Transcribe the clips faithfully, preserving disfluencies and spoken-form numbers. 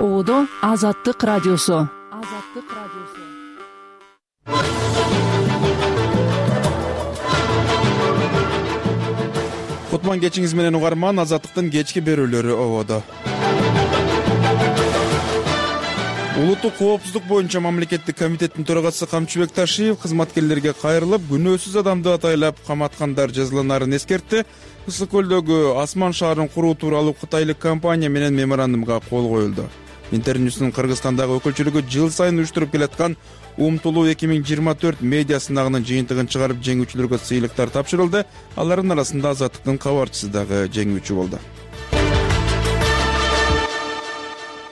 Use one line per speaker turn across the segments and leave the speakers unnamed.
Оодо Азаттык радиосу. Азаттык радиосу.
Кутман кечиңиз менен угарман, Азаттыктын кечки берүүлөрү ободо. Улуттук коопсуздук боюнча мамлекеттик комитеттин төрагасы Камчыбек Ташиев кызматкерлерге кайрылып, күнөөсүз адамды атайлап каматкандар жазаланарын эскертти. Ысык көлдөгү Асман шаарын куруу тууралуу кытайлык компания менен меморандумга кол коюлду. Интерньюстун Кыргызстандагы өкүлчүлүгү жыл сайын уюштуруп келаткан Умтулуу эки миң жыйырма төрт медиа сынагынын жыйынтыгын чыгарып, жеңүүчүлөргө сыйлыктар тапшырылды. Алардын арасында Азаттыктын кабарчысы дагы жеңүүчү болду.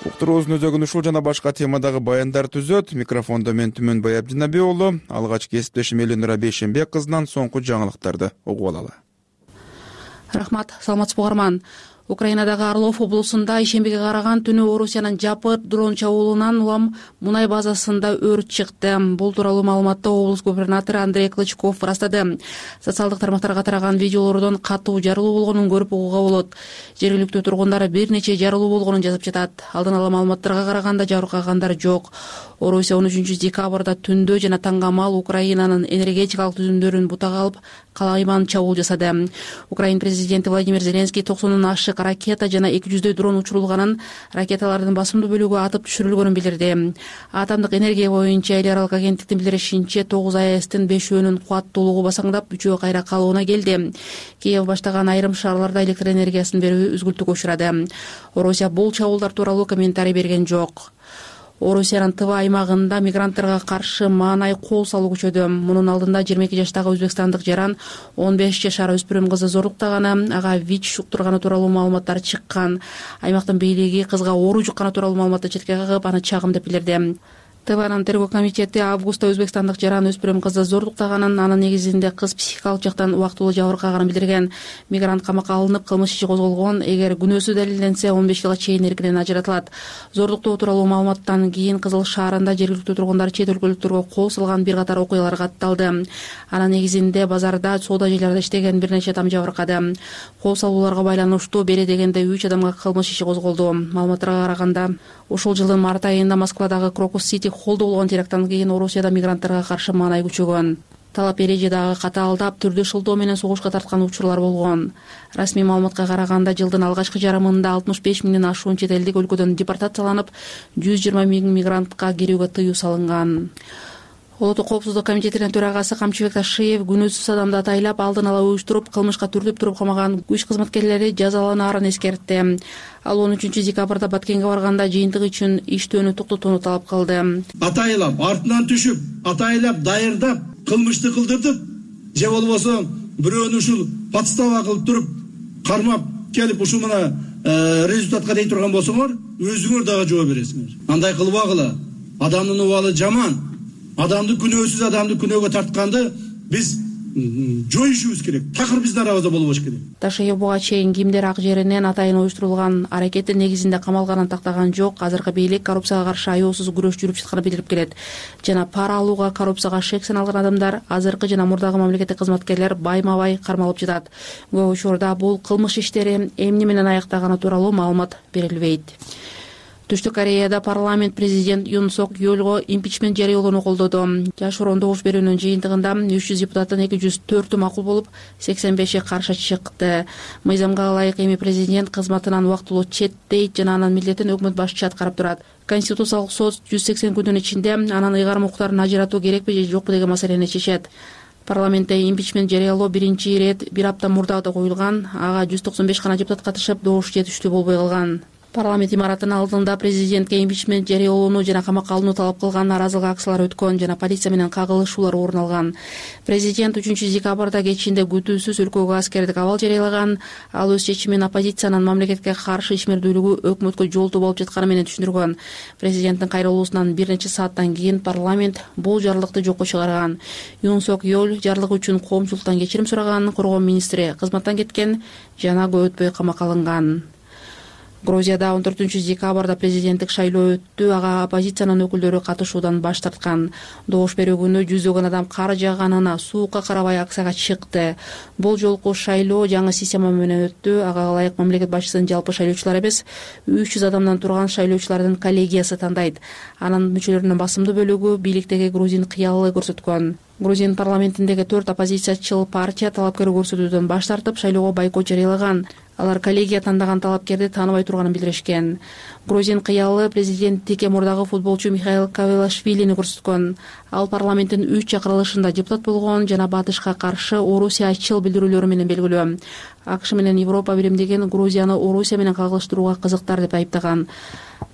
Уктуруубуздун өзөгүн ушул жана башка темадагы баяндар түзөт. Микрофондо мен Түмөнбай Абдинабий уулу. Алгач кесиптешим Элинура Бейшенбек кызынан соңку жаңылыктарды угуп алалы.
Рахмат, саламатсызбы угарман. Украинадагы Орлов облусунда ишембиге караган түнү Орусиянын жапыр дрон чабуулунан улам мунай базасында өрт чыкты. Бул тууралуу маалыматты облус губернатору Андрей Клычков ырастады. Социалдык тармактарга тараган видеолордон катуу жарылуу болгонун көрүп угууга болот. Жергиликтүү тургундар бир нече жарылуу болгонун жазып жатат. Алдын ала маалыматтарга караганда жабыркагандар жок. Орусия он үчүнчү декабрда түндө жана таңгамал Украинанын энергетикалык түзүмдөрүн бутага алып, калайман чабуул жасады. Украин президенти Владимир Зеленский токсондон ашык ракета жана эки жүздөй дрон учурулганын, ракеталардын басымдуу бөлүгү атып түшүрүлгөнүн билдирди. Атомдук энергия боюнча эл аралык агенттиктин билдиришинче, тогуз АЭСтин бешөөнүн кубаттуулугу басаңдап, үчөө кайра калыбына келди. Киев баштаган айрым шаарларда электр энергиясын берүү үзгүлтүккө учурады. Орусия бул чабуулдар тууралуу комментарий берген жок. Орусиянын Тыва аймагында мигранттарга каршы маанай кол салуу күчөдү. Мунун алдында жыйырма эки жаштагы өзбекстандык жаран он беш жашар өспүрүм кызды зорлуктаганы, ага ВИЧ жуктурганы тууралуу маалыматтар чыккан. Аймактын бийлиги кызга оору жукканы тууралуу маалыматты четке кагып, аны чагым деп билдирди. Тыванын тергөө комитети августта өзбекстандык жаран өспүрүм кызды зорлуктаганын, анын негизинде кыз психикалык жактан убактылуу жабыркаганын билдирген. Мигрант камакка алынып, кылмыш иши козголгон. Эгер күнөөсү далилденсе, он беш жылга чейин эркинен ажыратылат. Зорлуктоо тууралуу маалыматтан кийин Кызыл шаарында жергиликтүү тургундар чет өлкөлүктөргө кол салган бир катар окуялар катталды. Анын негизинде базарда, соода жайларда иштеген бир нече адам жабыркады. Кол салууларга байланыштуу бери дегенде үч адамга кылмыш иши козголду. Маалыматтарга караганда, ушул жылдын март айында Москвадагы Крокус Сити холлдо болгон теракттан кийин Орусияда мигранттарга каршы маанай күчөгөн. Талап эреже дагы катаалдап, түрдүү шылтоо менен согушка тарткан учурлар болгон. Расмий маалыматка караганда, жылдын алгачкы жарымында алтымыш беш миңден ашуун чет элдик өлкөдөн депортацияланып, жүз жыйырма миң мигрантка кирүүгө тыюу салынган. Улуттук коопсуздук комитетинин төрагасы Камчыбек Ташиев күнөөсүз адамды атайлап, алдын ала уюштуруп, кылмышка түртүп туруп камаган күч кызматкерлери жазаланаарын эскертти. Ал он үчүнчү декабрда Баткенге барганда жыйынтык үчүн иштөөнү токтотууну талап кылды.
Атайлап, артынан түшүп, атайлап, дайырдап, кылмышты кылдыртып, же болбосо бирөөнү ушул подстава кылып туруп, кармап келип ушул мына результатка дей турган болсоңор, өзүңөр дагы жооп бересиңер. Андай кылбагыла. Адамдын убалы жаман. Адамды күнөөсүз адамды күнөөгө тартканды биз жоюшубуз керек. Такыр биздин арабызда болбош керек.
Ташиев буга чейин кимдер ак жеринен атайын уюштурулган аракеттин негизинде камалганын тактаган жок. Азыркы бийлик коррупцияга каршы аеосуз күрөш жүрүп жатканын билдирип келет. Жана пара алууга, коррупцияга шек саналган адамдар, азыркы жана мурдагы мамлекеттик кызматкерлер байма-бай кармалып жатат. Көп учурда бул кылмыш иштери эмне менен аяктаганы тууралуу маалымат берилбейт. Түштүк Кореяда парламент президент Юн Сок Йолго импичмент жарыялоону колдоду. Жашыруун добуш берүүнүн жыйынтыгында үч жүз депутаттын эки жүз төртү макул болуп, сексен беши каршы чыкты. Мыйзамга ылайык эми президент кызматынан убактылуу четтейт жана анын милдетин өкмөт башчысы аткарып турат. Конституциялык сот жүз сексен күндүн ичинде анын ыйгарым укуктарын ажыратуу керекпи же жокпу деген маселени чечет. Парламентте импичмент жарыялоо биринчи ирет бир апта мурда да коюлган. Ага жүз токсон беш гана депутат катышып, добуш жетиштүү болбой калган. Парламент имаратынын алдында президентке импичмент жарыялоону жана камакка алууну талап кылган нааразылык акциялары өткөн жана полиция менен кагылышуулар орун алган. Президент үчүнчү декабрда кечинде күтүүсүз өлкөгө аскердик абал жарыялаган. Ал өз чечимин оппозициянын мамлекетке каршы ишмердүүлүгү өкмөткө жолтоо болуп жатканы менен түшүндүргөн. Президенттин кайрылуусунан бир нече сааттан кийин парламент бул жарлыкты жокко чыгарган. Юн Сок Йол жарлык үчүн коомчулуктан кечирим сураган, коргоо министри кызматтан кеткен жана көп өтпөй камакка алынган. Грузияда он төртүнчү декабрда президенттик шайлоо өттү. Ага оппозициянын өкүлдөрү катышуудан баш тарткан. Добуш берүү күнү жүздөгөн адам кар жааганына суукка карабай акцияга чыкты. Бул жолку шайлоо жаңы система менен өттү. Ага ылайык мамлекет башчысын жалпы шайлоочулар эмес, үч жүз адамдан турган шайлоочулардын коллегиясы тандайт. Анын мүчөлөрүнүн басымдуу бөлүгү бийликтеги грузин кыялы көрсөткөн. Грузин парламентиндеги төрт оппозициячыл партия талапкер көрсөтүүдөн баш тартып, шайлоого бойкот жарыялаган. Алар коллегия тандаган талапкерди тааныбай турганын билдиришкен. Грузин кыялы президенттикке мурдагы футболчу Михаил Кавелашвилини көрсөткөн. Ал парламенттин үч чакырылышында депутат болгон жана батышка каршы орусиячыл билдирүүлөрү менен белгилүү. АКШ менен Европа биримдигин Грузияны Орусия менен кагылыштырууга кызыктар деп айыптаган.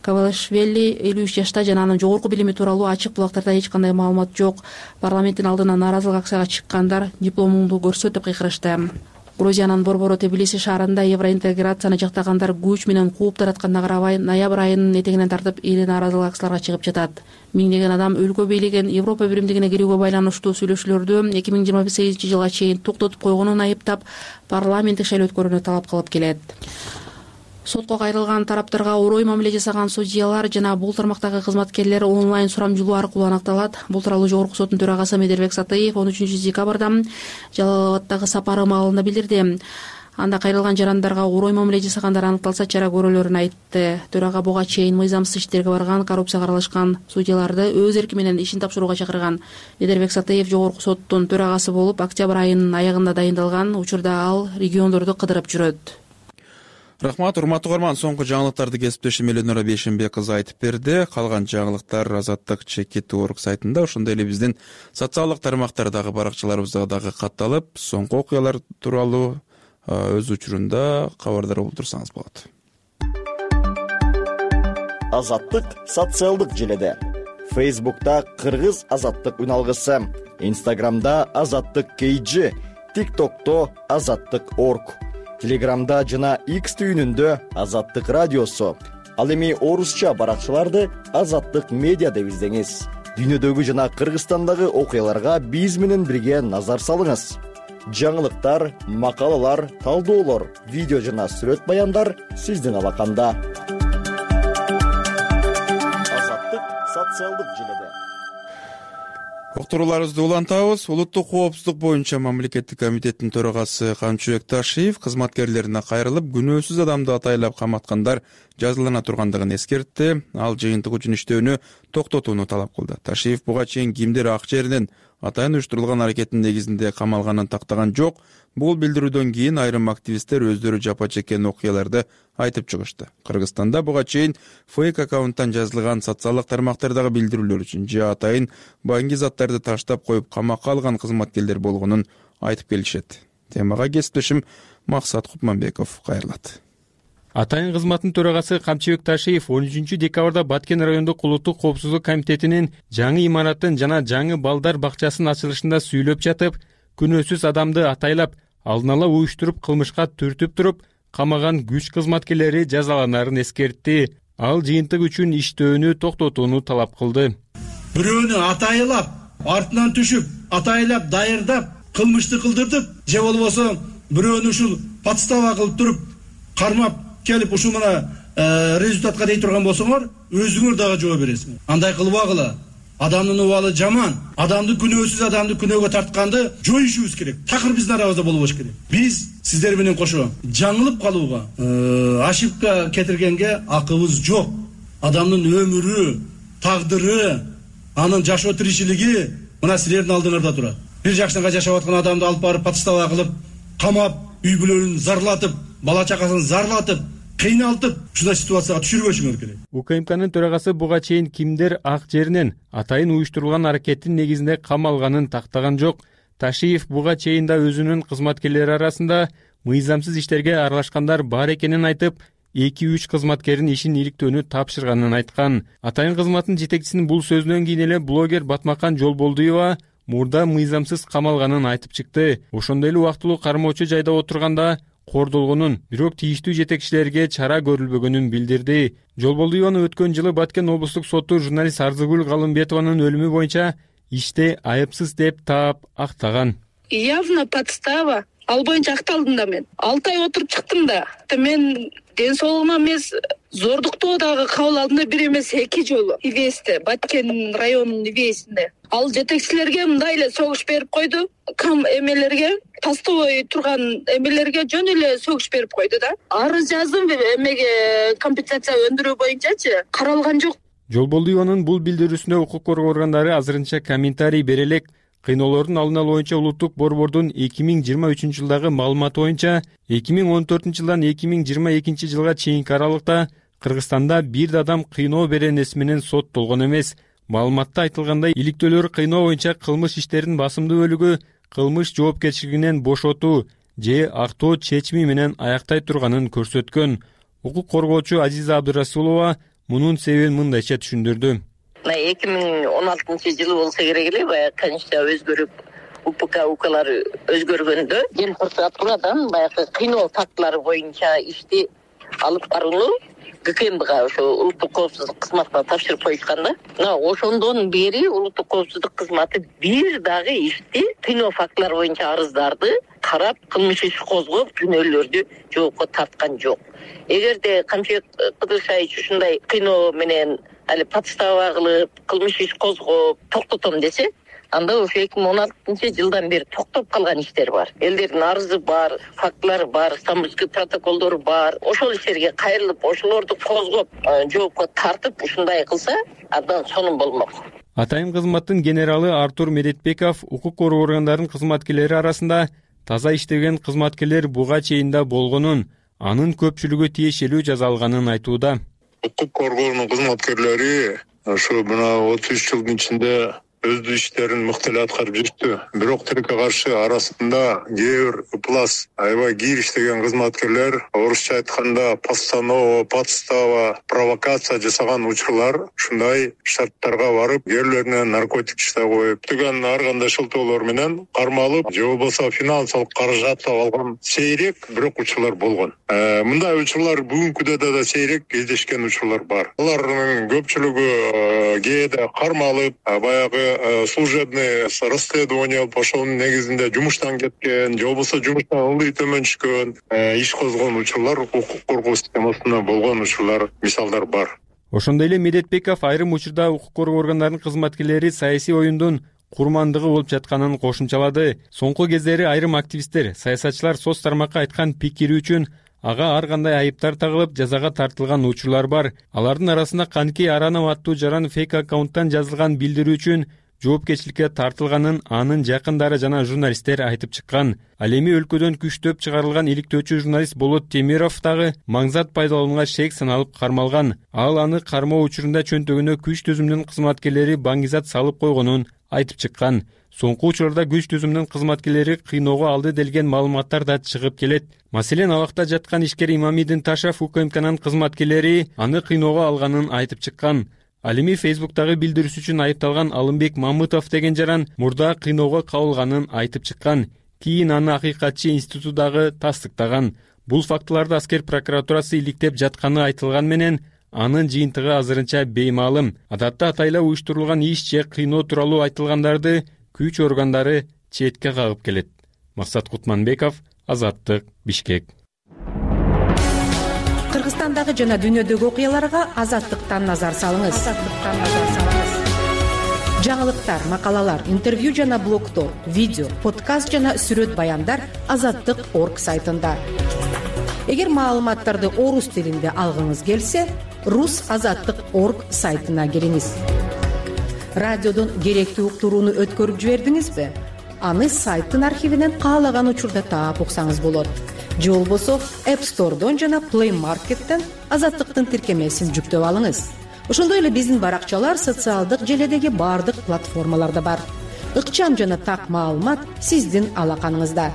Кавелашвили элүү үч жашта жана анын жогорку билими тууралуу ачык булактарда эч кандай маалымат жок. Парламенттин алдына нааразылык акцияга чыккандар дипломуңду көрсөт деп кыйкырышты. Грузиянын борбору Тбилиси шаарында евроинтеграцияны жактагандар күч менен кууп таратканына карабай, ноябрь айынын этегинен тартып эли нааразылык акцияларга чыгып жатат. Миңдеген адам өлкө бийлигин Европа биримдигине кирүүгө байланыштуу сүйлөшүүлөрдү эки миң жыйырма сегизинчи жылга чейин токтотуп койгонун айыптап, парламенттик шайлоо өткөрүүнү талап кылып келет. Сотко кайрылган тараптарга орой мамиле жасаган судьялар жана бул тармактагы кызматкерлер онлайн сурамжылоо аркылуу анакталат. Бул тууралуу Жогорку соттун төрагасы Медербек Сатыев он үчүнчү декабрда Жалал Абадтагы сапары маалында билдирди. Анда кайрылган жарандарга орой мамиле жасагандар аныкталса чара көрөлөрүн айтты. Төрага буга чейин мыйзамсыз иштерге барган, коррупцияга аралашкан судьяларды өз эрки менен ишин тапшырууга чакырган. Медербек Сатыев Жогорку соттун төрагасы болуп, октябрь айынын аягында дайындалган. Учурда ал региондорду кыдырып жүрөт.
Рахмат, урматтуу угарман, соңку жаңылыктарды кесиптешим Эленора Бейшенбек кызы айтып берди. Калган жаңылыктар Азаттык чекит точка орг сайтында, ошондой эле биздин социалдык тармактардагы баракчаларыбызда дагы катталып, соңку окуялар тууралуу өз учурунда кабардар болуп турсаңыз болот.
Азаттык социалдык желеде. Фейсбукта Кыргыз Азаттык үналгысы, Инстаграмда Азаттык кей джи, ТикТокто Азаттык точка орг, Телеграмда жана X түйүнүндө Азаттык радиосу. Ал эми орусча баракчаларды Азаттык медиа деп издеңиз. Дүйнөдөгү жана Кыргызстандагы окуяларга биз менен бирге назар салыңыз. Жаңылыктар, макалалар, талдоолор, видео жана сүрөт баяндар сиздин алаканда. Азаттык социалдык желеде.
Уктурууларыбызды улантабыз. Улуттук коопсуздук боюнча мамлекеттик комитеттин төрагасы Камчыбек Ташиев кызматкерлерине кайрылып, күнөөсүз адамды атайлап каматкандар жазалана тургандыгын эскертти. Ал жыйынтык үчүн иштөөнү токтотууну талап кылды. Ташиев буга чейин кимдир ак жеринен атайын уюштурулган аракеттин негизинде камалганын тактаган жок. Бул билдирүүдөн кийин айрым активисттер өздөрү жапа чеккен окуяларды айтып чыгышты. Кыргызстанда буга чейин фейк аккаунттан жазылган социалдык тармактардагы билдирүүлөр үчүн же атайын баңги заттарды таштап коюп камакка алган кызматкерлер болгонун айтып келишет. Темага кесиптешим Максат Купманбеков кайрылат.
Атайын кызматтын төрагасы Камчыбек Ташиев он үчүнчү декабрда Баткен райондук улуттук коопсуздук комитетинин жаңы имараттын жана жаңы балдар бакчасынын ачылышында сүйлөп жатып, күнөөсүз адамды атайлап, алдын ала уюштуруп кылмышка түртүп туруп, камаган күч кызматкерлери жазаланарын эскертти. Ал жыйынтык үчүн иштөөнү токтотууну талап кылды.
Бирөөнү атайлап, артынан түшүп, атайлап, дайырдап, кылмышты кылдыртып, же болбосо бирөөнү ушул подстава кылып туруп, кармап келип ушул мына результатка дей турган болсоңор, өзүңөр дагы жооп бересиңер. Андай кылбагыла. Адамдын убалы жаман. Адамды күнөөсүз адамды күнөөгө тартканды жоюшубуз керек. Такыр биздин арабызда болбош керек. Биз сиздер менен кошо жаңылып калууга, ошибка кетиргенге акыбыз жок. Адамдын өмүрү, тагдыры, анын жашоо тиричилиги мына силердин алдыңарда турат. Бир жакшыга жашап аткан адамды алып барып подстава кылып, камап, үй бүлөлүн зарлатып, бала чакасын зарлатып, кыйналтып, ушундай ситуацияга түшүрбөшүңөр керек.
УКМКнын төрагасы буга чейин кимдер ак жеринен атайын уюштурулган аракеттин негизинде камалганын тактаган жок. Ташиев буга чейин да өзүнүн кызматкерлери арасында мыйзамсыз иштерге аралашкандар бар экенин айтып, эки үч кызматкердин ишин иликтөөнү тапшырганын айткан. Атайын кызматтын жетекчисинин бул сөзүнөн кийин эле блогер Батмакан Жолболдуева мурда мыйзамсыз камалганын айтып чыкты. Ошондой эле убактылуу кармоочу жайда отурганда кордолгонун, бирок тийиштүү жетекчилерге чара көрүлбөгөнүн билдирди. Жолболдуеваны өткөн жылы Баткен облустук соту журналист Арзыгүл Галымбетованын өлүмү боюнча иште айыпсыз деп таап актаган.
Явно подстава. Ал боюнча акталдым да мен. алты ай отуруп чыктым да. Мен ден соолугуна эмес, зордуктоо дагы кабыл алдында бир эмес эки жолу ивесте, Баткен районунун ивесинде. Ал жетекчилерге мындай эле согуш берип койду. Кам эмелерге, постовой турган эмелерге жөн эле согуш берип койду да. Арыз жаздым эмеге компенсация өндүрүү боюнчачы, каралган жок.
Жолболдуеванын бул билдирүүсүнө укук коргоо органдары азырынча комментарий бере элек. Кыйноолордун алдын алуу боюнча улуттук борбордун эки миң жыйырма үчүнчү жылдагы маалыматы боюнча эки миң он төртүнчү жылдан эки миң жыйырма экинчи жылга чейинки аралыкта Кыргызстанда бир да адам кыйноо беренеси менен соттолгон эмес. Маалыматта айтылгандай, иликтөөлөр кыйноо боюнча кылмыш иштеринин басымдуу бөлүгү кылмыш жоопкерчилигинен бошотуу же актоо чечими менен аяктай турганын көрсөткөн. Укук коргоочу Азиза Абдырасулова мунун себебин мындайча түшүндүрдү.
эки миң он алтынчы жылы болсо керек эле, баягы конечно өзгөрүп, УПК УКлар өзгөргөндө Ген прокуратурадан баягы кыйноо фактылары боюнча ишти алып барууну ГКМБга, ошо улуттук коопсуздук кызматына тапшырып коюшканда, мына ошондон бери улуттук коопсуздук кызматы бир дагы ишти кыйноо фактылары боюнча арыздарды карап, кылмыш иш козгоп, күнөөлөрдү жоопко тарткан жок. Эгерде Камчыбек Кыдыршаевич ушундай кыйноо менен али подстава кылып, кылмыш иш козгоп, токтотом десе, анда ошо эки миң он алтынчы жылдан бери токтоп калган иштер бар. Элдердин арызы бар, фактылары бар, Стамбульский протоколдору бар. Ошол иштерге кайрылып, ошолорду козгоп, жоопко тартып ушундай кылса, андан сонун болмок.
Атайын кызматтын генералы Артур Медетбеков укук коргоо органдарынын кызматкерлери арасында таза иштеген кызматкерлер буга чейин да болгонун, анын көпчүлүгү тиешелүү жаза алганын айтууда.
Укук коргоонун кызматкерлери ошо мына отуз үч жылдын ичинде өз иштерин мыкты эле аткарып жүрүптү. Бирок тилекке каршы арасында кээ бир ыплас, аябай кийир иштеген кызматкерлер, орусча айтканда постанова, подстава, провокация жасаган учурлар ушундай шарттарга барып, кээрлерине наркотик иште коюп, түгөн ар кандай шылтоолор менен кармалып, же болбосо финансылык каражат алган сейрек, бирок учурлар болгон. Мындай учурлар бүгүнкү күндө да сейрек кездешкен учурлар бар. Алардын көпчүлүгү кээде кармалып, баягы служебный расследование ошонун негизинде жумуштан кеткен, же болбосо жумуштан ылдый төмөн түшкөн, иш козгон учурлар, укук коргоо системасында болгон учурлар, мисалдар бар.
Ошондой эле Медетбеков айрым учурда укук коргоо органдарынын кызматкерлери саясий оюндун курмандыгы болуп жатканын кошумчалады. Соңку кездери айрым активисттер саясатчылар соц тармакка айткан пикири үчүн ага ар кандай айыптар тагылып, жазага тартылган учурлар бар. Алардын арасында Канки Аранов аттуу жаран фейк аккаунттан жазылган билдирүү үчүн жоопкерчиликке тартылганын анын жакындары жана журналисттер айтып чыккан. Ал эми өлкөдөн күчтөп чыгарылган иликтөөчү журналист Болот Темиров дагы маңзат пайдаланууга шек саналып кармалган. Ал аны кармоо учурунда чөнтөгүнө күч түзүмүнүн кызматкерлери баңгизат салып койгонун айтып чыккан. Соңку учурларда күч түзүмүнүн кызматкерлери кыйноого алды делген маалыматтар да чыгып келет. Маселен, абакта жаткан ишкер Имамидин Ташев УКМКнын кызматкерлери аны кыйноого алганын айтып чыккан. Ал эми Фейсбуктагы билдирүүсү үчүн айыпталган Алымбек Мамытов деген жаран мурда кыйноого кабылганын айтып чыккан. Кийин аны акыйкатчы институту дагы тастыктаган. Бул фактыларды аскер прокуратурасы иликтеп жатканы айтылган менен, анын жыйынтыгы азырынча беймаалым. Адатта атайла уюштурулган иш же кыйноо тууралуу айтылгандарды күч органдары четке кагып келет. Максат Кутманбеков, Азаттык, Бишкек.
Кыргызстандагы жана дүйнөдөгү окуяларга Азаттыктан назар салыңыз. Азаттыктан назар салыңыз. Жаңылыктар, макалалар, интервью жана блогдор, видео, подкаст жана сүрөт баяндар азаттык точка орг сайтында. Эгер маалыматтарды орус тилинде алгыңыз келсе, рус азаттык точка орг сайтына кириңиз. Радиодон керектүү уктурууну өткөрүп жибердиңизби? Аны сайттын архивинен каалаган учурда таап уксаңыз болот. Же болбосо App Store'дон жана Play Market'тен Азаттыктын тиркемесин жүктөп алыңыз. Ошондой эле биздин баракчалар социалдык желедеги бардык платформаларда бар. Ыкчам жана так маалымат сиздин алаканыңызда.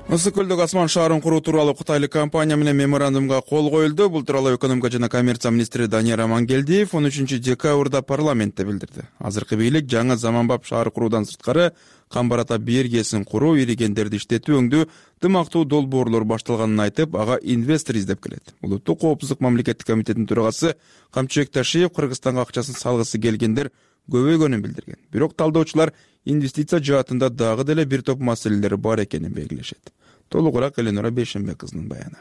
Ысык көлдөгү асман шаарын куруу тууралуу кытайлык компания менен меморандумга кол коюлду. Бул тууралуу экономика жана коммерция министри Данияр Амангелдиев он үчүнчү декабрда парламентте билдирди. Азыркы бийлик жаңы заманбап шаар куруудан сырткары камбар ата биергесин куруу, иригендерди иштетүү, өңдүү, дымактуу долбоорлор башталганын айтып, ага инвестор издеп келет. Улуттук коопсуздук мамлекеттик комитетинин төрагасы Камчыбек Ташиев Кыргызстанга акчасын салгысы келгендер көбөйгөнүн билдирген. Бирок талдоочулар инвестиция жаатында дагы деле бир топ маселелер бар экенин белгилешет. Толугураак Эленора Бейшенбек кызынын баяны.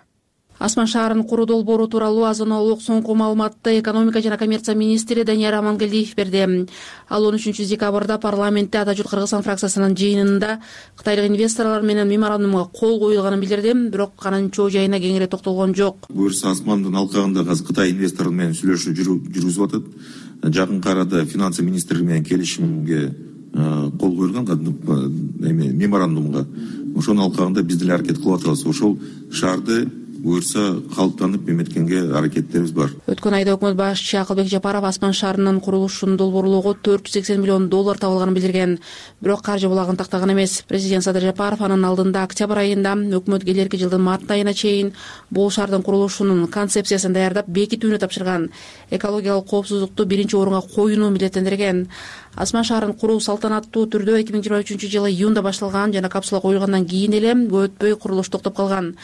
Асман шаарын куруу долбоору тууралуу азын-аулык соңку маалыматты экономика жана коммерция министри Данияр Амангелдиев берди. Ал он үчүнчү декабрда парламентте Ата журт Кыргызстан фракциясынын жыйынында кытайлык инвесторлор менен меморандумга кол коюлганын билдирди, бирок анын чоо жайына кеңири токтолгон жок.
Буюрса Асмандын алкагында азыр Кытай инвесторлор менен сүйлөшүү жүргүзүп атат. Жакынкы арада финансы министрлиги менен келишимге кол коюлган эме меморандумга. Ошонун алкагында биз деле аракет кылып атабыз. Ошол шаарды буюрса калыптанып эметкенге аракеттерибиз бар.
Өткөн айда өкмөт башчысы Акылбек Жапаров Асман шаарынын курулушун долбоорлоого төрт жүз сексен миллион доллар табылганын билдирген. Бирок каржы булагын тактаган эмес. Президент Садыр Жапаров анын алдында октябрь айында өкмөт келерки жылдын март айына чейин бул шаардын курулушунун концепциясын даярдап бекитүүнү тапшырган. Экологиялык коопсуздукту биринчи орунга коюуну милдеттендирген. Асман шаарын куруу салтанаттуу түрдө эки миң жыйырма үчүнчү жылы июнда башталган жана капсула коюлгандан кийин эле көп өтпөй курулуш токтоп калган.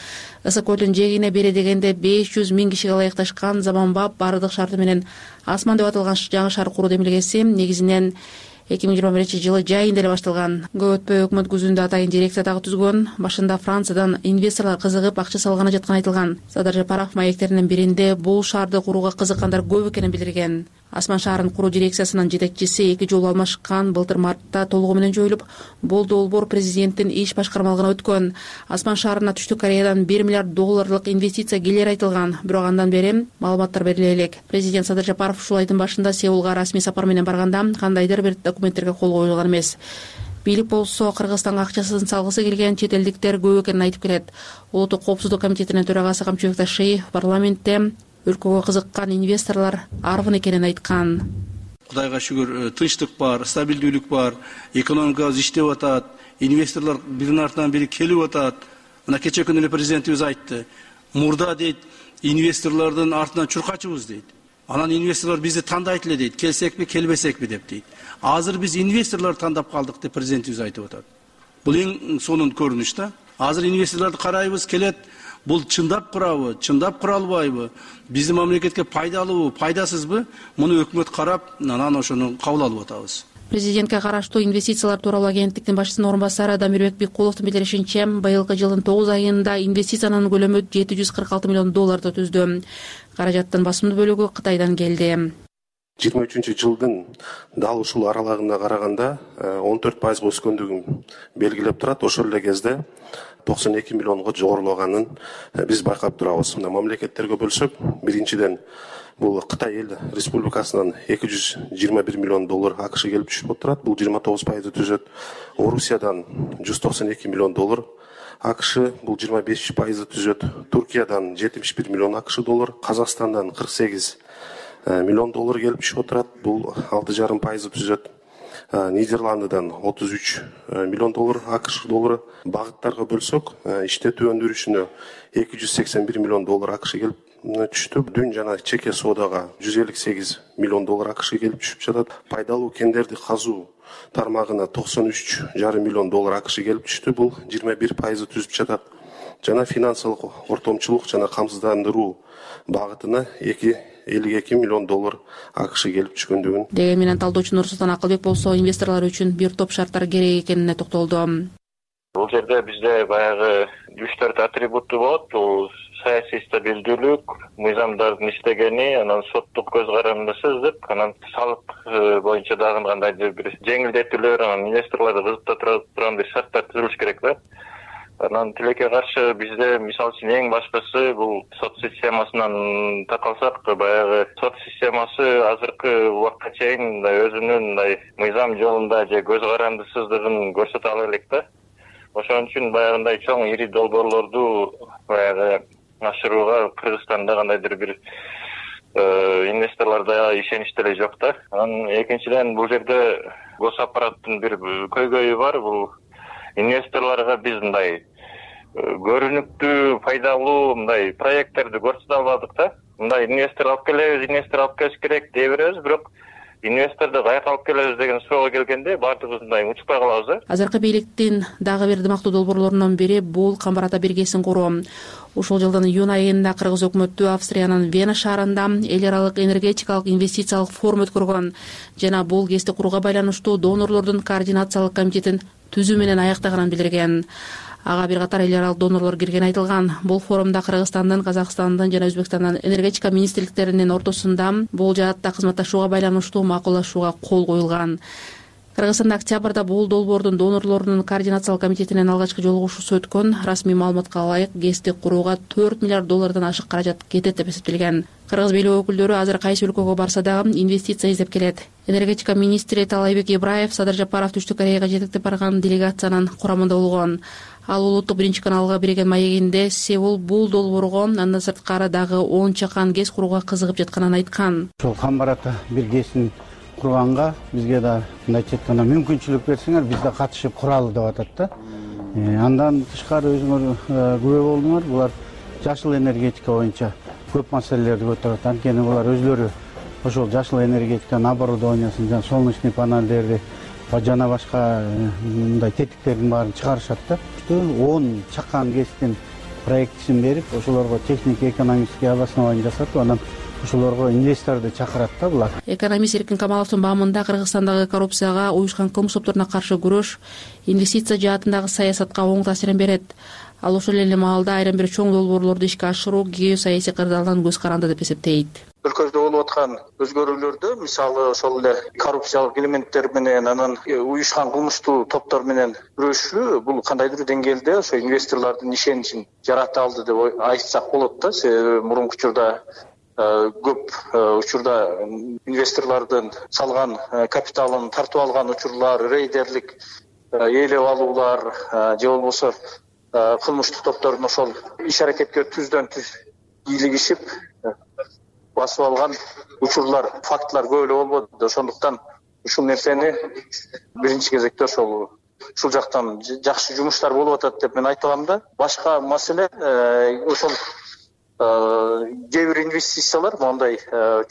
Ысык көлдүн жээгине бере дегенде беш жүз миң кишиге ылайыкташкан заманбап бардык шарты менен Асман деп аталган жаңы шаар куруу демилгеси негизинен эки миң жыйырма биринчи жылы жайында эле башталган. Көп өтпөй өкмөт күзүндө атайын дирекция дагы түзгөн. Башында Франциядан инвесторлор кызыгып акча салганы жатканы айтылган. Садыр Жапаров маектеринин биринде бул шаарды курууга кызыккандар көп экенин билдирген. Асман шаарын куруу дирекциясынын жетекчиси эки жолу алмашкан былтыр мартта толугу менен жоюлуп, бул долбоор президенттин иш башкармалыгына өткөн. Асман шаарына Түштүк Кореядан бир миллиард долларлык инвестиция келери айтылган, бирок андан бери маалыматтар бериле элек. Президент Садыр Жапаров ушул айдын башында Сеулга расмий сапар менен барганда кандайдыр бир документтерге кол коюлган эмес. Бийлик болсо Кыргызстанга акчасын салгысы келген чет элдиктер көп экенин айтып келет. Улуттук коопсуздук комитетинин төрагасы Камчыбек Ташиев парламентте өлкөгө кызыккан инвесторлор арбын экенин айткан.
Кудайга шүгүр, тынчтык бар, стабилдүүлүк бар, экономикабыз иштеп атат, инвесторлор биринин артынан бири келип атат. Мына кечээ күнү эле президентибиз айтты. Мурда дейт, инвесторлордун артынан чуркачыбыз дейт. Анан инвесторлор бизди тандайт эле дейт, келсекпи, келбесекпи деп дейт. Азыр биз инвесторлор тандап калдык деп президентибиз айтып атат. Бул эң сонун көрүнүш да. Азыр инвесторлорду карайбыз, келет. Бул чындап курабы, чындап кура албайбы, биздин мамлекетке пайдалуубу, пайдасызбы, муну өкмөт карап, анан ошону кабыл алып атабыз.
Президентке караштуу инвестициялар тууралуу агенттиктин башчысынын орун басары Дамирбек Беккуловдун билдиришинче, быйылкы жылдын тогуз айында инвестициянын көлөмү жети жүз кырк алты миллион долларды түздү. Каражаттын басымдуу бөлүгү Кытайдан келди.
жыйырма үчүнчү жылдын дал ушул аралыгына караганда он төрт пайызга өскөндүгүн белгилеп турат. Ошол эле кезде токсон эки миллионго жогорулаганын биз байкап турабыз. Мына мамлекеттерге бөлсөк, биринчиден бул Кытай эл республикасынан эки жүз жыйырма бир миллион доллар АКШ келип түшүп турат. Бул жыйырма тогуз пайызды түзөт. Орусиядан жүз токсон эки миллион доллар АКШ, бул жыйырма беш пайызды түзөт. Туркиядан жетимиш бир миллион АКШ доллар, Казакстандан кырк сегиз миллион доллар келип түшүп турат. Бул алты жарым пайызды түзөт. Нидерландыдан отуз үч миллион доллар АКШ доллары. Багыттарга бөлсөк, иштетүү өндүрүшүнө эки жүз сексен бир миллион доллар АКШ келип түштү. Дүн жана чеке соодага жүз элүү сегиз миллион доллар АКШ келип түшүп жатат. Пайдалуу кендерди казуу тармагына токсон үч жарым миллион доллар АКШ келип түштү. Бул жыйырма бир пайызды түзүп жатат. Жана финансылык ортомчулук жана камсыздандыруу багытына элүү эки миллион доллар АКШ келип түшкөндүгүн.
Деген менен талдоочу Нурсултан Акылбек болсо инвесторлор үчүн бир топ шарттар керек экенине токтолду.
Бул жерде бизде баягы үч төрт атрибутту болот. Бул саясий стабилдүүлүк, мыйзамдардын иштегени, анан соттук көз карандысыздык, анан салык боюнча дагы кандайдыр бир жеңилдетүүлөр, анан инвесторлорду кызыктыра турган бир шарттар түзүлүш керек да. Анан тилекке каршы бизде мисалы үчүн эң башкысы бул сот системасынан такалсак, баягы сот системасы азыркы убакка чейин өзүнүн мындай мыйзам жолунда же көз карандысыздыгын көрсөтө ала элек да. Ошон үчүн баягындай чоң ири долбоорлорду баягы ашырууга Кыргызстанда кандайдыр бир инвесторлордо ишенич деле жок да. Анан экинчиден бул жерде гос аппараттын бир көйгөйү бар. Бул инвесторлорго биз мындай көрүнүктүү, пайдалуу мындай проекттерди көрсөтө албадык да. Мындай инвестор алып келебиз, инвестор алып келиш керек дей беребиз, бирок инвесторду каяка алып келебиз деген суроого келгенде баардыгыбыз мындай учпай калабыз да.
Азыркы бийликтин дагы бир дымактуу долбоорлорунун бири бул Камбар ата биргесин куруу. Ушул жылдын июнь айында кыргыз өкмөтү Австриянын Вена шаарында эл аралык энергетикалык инвестициялык форум өткөргөн жана бул кести курууга байланыштуу донорлордун координациялык комитетин түзүү менен аяктаганын билдирген. ага бир катар эл аралык донорлор киргени айтылган. Бул форумда Кыргызстандын, Казакстандын жана Өзбекстандын энергетика министрликтеринин ортосунда бул жаатта кызматташууга байланыштуу макулдашууга кол коюлган. Кыргызстанда октябрда бул долбоордун донорлорунун координациялык комитетинин алгачкы жолугушуусу өткөн. Расмий маалыматка ылайык ГЭСти курууга төрт миллиард доллардан ашык каражат кетет деп эсептелген. Кыргыз бийлиги өкүлдөрү азыр кайсы өлкөгө барса дагы инвестиция издеп келет. Энергетика министри Таалайбек Ибраев Садыр Жапаров Түштүк Кореяга жетектеп барган делегациянын курамында болгон. Ал улуттук биринчи каналга берген маегинде Сеул бул долбоорго андан сырткары дагы он чакан ГЭС курууга кызыгып жатканын айткан.
Ошол Камбарата бир ГЭСин курганга бизге да мындайча айтканда мүмкүнчүлүк берсеңер биз да катышып куралы деп атат да. Андан тышкары өзүңөр күбө болдуңар, булар жашыл энергетика боюнча көп маселелерди көтөрөт. Анткени булар өзлөрү ошол жашыл энергетиканын оборудованиясын, жана солнечный панелдерди жана башка мындай тетиктердин баарын чыгарышат да. он чакан ГЭСтин проектисин берип, ошолорго технико-экономический обоснование жасатып, анан ошолорго инвесторду чакырат да булар.
Экономист Эркин Камаловдун баамында Кыргызстандагы коррупцияга, уюшкан кылмыш топторуна каршы күрөш инвестиция жаатындагы саясатка оң таасирин берет. Ал ошол эле маалда айрым бир чоң долбоорлорду ишке ашыруу геосаясий кырдаалдан көз каранды деп эсептейт.
Өлкөбүздө болуп аткан өзгөрүүлөрдү, мисалы ошол эле коррупциялык элементтер менен, анан уюшкан кылмыштуу топтор менен күрөшүү бул кандайдыр деңгээлде ошо инвесторлордун ишеничин жарата алды деп айтсак болот да. Себеби мурунку учурда көп учурда инвесторлордун салган капиталын тартып алган учурлар, рейдерлик ээлеп алуулар же болбосо кылмыштуу топтордун ошол иш аракетке түздөн түз кийлигишип басып алган учурлар, фактылар көп эле болбоду. Ошондуктан ушул нерсени биринчи кезекте ошол ушул жактан жакшы жумуштар болуп атат деп мен айта алам да. Башка маселе ошол кээ бир инвестициялар моундай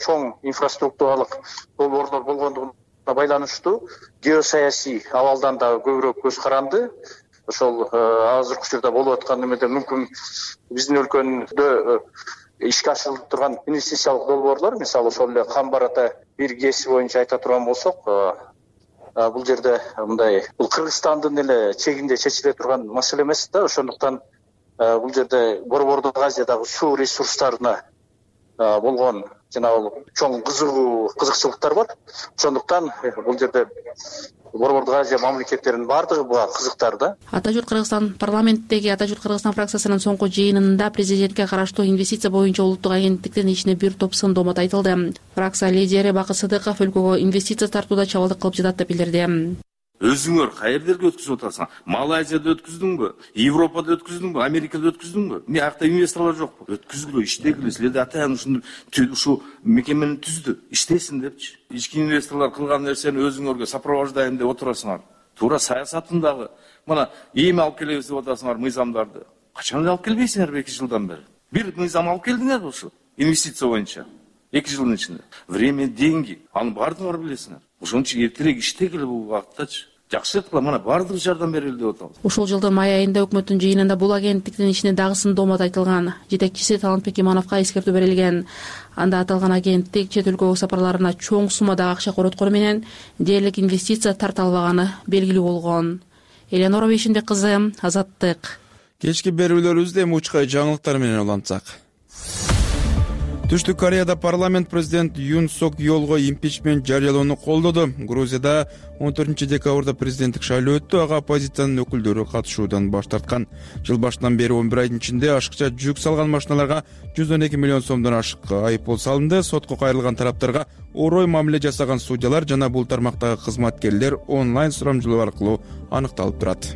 чоң инфраструктуралык долбоорлор болгондугуна байланыштуу геосаясий абалдан дагы көбүрөөк көз каранды. Ошол азыркы учурда болуп аткан эмеде мүмкүн биздин өлкөдө ишке ашырылып турган инвестициялык долбоорлор, мисалы ошол эле Камбарата бир ГЭСи боюнча айта турган болсок, бул жерде мындай бул Кыргызстандын эле чегинде чечиле турган маселе эмес да. Ошондуктан бул жерде Борбордук Азиядагы суу ресурстарына болгон жанагы чоң кызыгуу кызыкчылыктар бар. Ошондуктан бул жерде Борбордук Азия мамлекеттеринин баардыгы буга кызыктар да.
Ата журт Кыргызстан парламенттеги Ата журт Кыргызстан фракциясынын соңку жыйынында президентке караштуу инвестиция боюнча улуттук агенттиктин ишине бир топ сын доомат айтылды. Фракция лидери Бакыт Сыдыков өлкөгө инвестиция тартууда чабалдык кылып жатат деп билдирди.
Өзүңөр каердерге өткүзүп атасың? Малайзияда өткүздүңбү? Европада өткүздүңбү? Америкада өткүздүңбү? Эмне акта инвесторлор жокпу? Өткүзгүлө, иштегиле. Силерде ата ушуну ушул мекемени түздү, иштесин депчи. Ички инвесторлор кылган нерсени өзүңөргө сопровождаем деп отурасыңар. Туура саясатындагы мына эми алып келебиз деп атасыңар мыйзамдарды. Качан алып келбейсиңер эки жылдан бери? Бир мыйзам алып келдиңер ушу инвестиция боюнча. эки жылдын ичинде. Время, деньги. Аны баардыгыңар билесиңер. Ошон үчүн эртерээк иштегиле бул багыттачы. Жакшы кыла, мына баардык жардам берели деп атабыз.
Ушул жылдын май айында өкмөттүн жыйынында бул агенттиктин ишине дагы сын доомат айтылган. Жетекчиси Талантбек Имановго эскертүү берилген. Анда аталган агенттик чет өлкөгө сапарларына чоң суммадагы акча короткону менен дээрлик инвестиция тарта албаганы белгилүү болгон. Эленора Бейшенбек кызы, Азаттык.
Кечки берүүлөрүбүздө эми учкай жаңылыктар менен улантсак. Түштүк Кореяда парламент президент Юн Сок Йолго импичмент жарыялоону колдоду. Грузияда он төртүнчү декабрда президенттик шайлоо өттү. Ага оппозициянын өкүлдөрү катышуудан баш тарткан. Жыл башынан бери он бир айдын ичинде ашыкча жүк салган машиналарга жүз он эки миллион сомдон ашык айыппул салынды. Сотко кайрылган тараптарга орой мамиле жасаган судьялар жана бул тармактагы кызматкерлер онлайн сурамжылоо аркылуу аныкталып турат.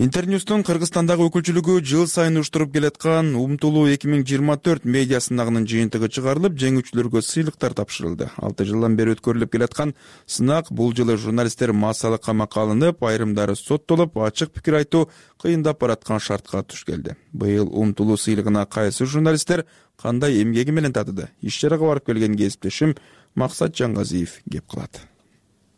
Интерньюстун Кыргызстандагы өкүлчүлүгү жыл сайын уштуруп келаткан Умтулуу эки миң жыйырма төрт медиа сынагынын жыйынтыгы чыгарылып, жеңүүчүлөргө сыйлыктар тапшырылды. алты жылдан бери өткөрүлүп келаткан сынак бул жылы журналисттер массалык камакка алынып, айрымдары соттолуп, ачык пикир айтуу кыйындап бараткан шартка туш келди. Быйыл Умтулуу сыйлыгына кайсы журналисттер кандай эмгеги менен татыды? Иш чарага барып келген кесиптешим Максат Жаңгазиев кеп кылат.